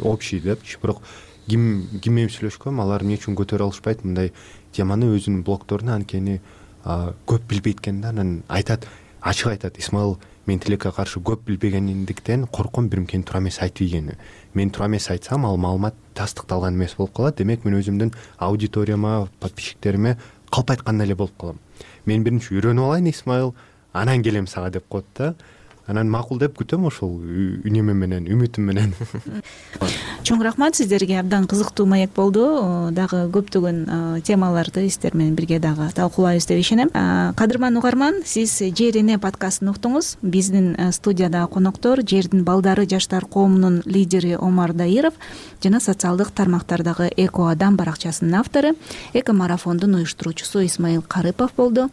общий депчи, бирок ким менен сүйлөшкөм, алар эмне үчүн көтөрө алышпайт мындай теманы өзүнүн блогторуна, анткени көп билбейт экен да. Анан айтат, ачык айтат, Исмаил, мен тилекке каршы көп билбегендиктен корком биримкени туура эмес айтып ийгени. Мен туура эмес айтсам, ал маалымат тастыкталган эмес болуп калат. Демек, мен өзүмдүн аудиторияма, подписчиктериме калп айткандай эле болуп калам. Мен биринчи үйрөнүп алайын, Исмаил, анан келем сага деп коет да. Анан макул деп күтөм ошол үнөмү менен, үмүтүм менен. Чоң рахмат сиздерге, абдан кызыктуу маек болду. Дагы көптөгөн темаларды сиздер менен бирге дагы талкуулайбыз деп ишенем. Кадырман угарман, сиз Жер эне подкастын уктуңуз. Биздин студияда коноктор Жердин балдары жаштар коомунун лидери Омар Даиров жана социалдык тармактардагы Эко Адам баракчасынын автору, эко марафондун уюштуруучусу Исмаил Карыпов болду.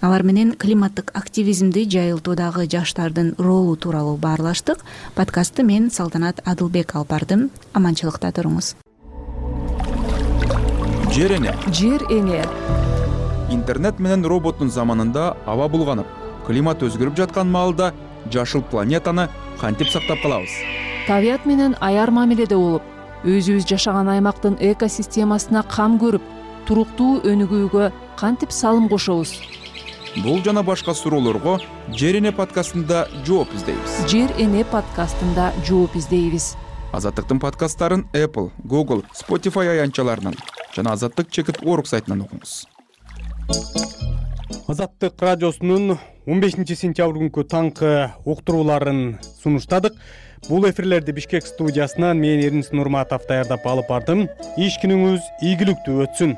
Алар менен климаттык активизмди жайылтуудагы жаштардын ролу тууралуу баарлаштык. Подкастты мен Салтанат Адылбек алып бардым. Аманчылыкта туруңуз. Жер эне. Жер эне. Интернет менен роботтун заманында аба булганып, климат өзгөрүп жаткан маалда жашыл планетаны кантип сактап калабыз? Табият менен аяр мамиледе болуп, өзүбүз жашаган аймактын экосистемасына кам көрүп, туруктуу өнүгүүгө кантип салым кошобуз? Бул жана башка суроолорго Жер эне подкастында жооп издейбиз. Жер эне подкастында жооп издейбиз. Азаттыктын подкасттарын Apple, Google, Spotify аянтчаларынан жана azattik.org сайтынан окуңуз. Азаттык радиосунун 15 сентябрь күнкү таңкы уктурууларын сунуштадык. Бул эфирлерди Бишкек студиясынан мен Эрнис Нурматов даярдап алып бардым. Иш күнүңүз ийгиликтүү өтсүн.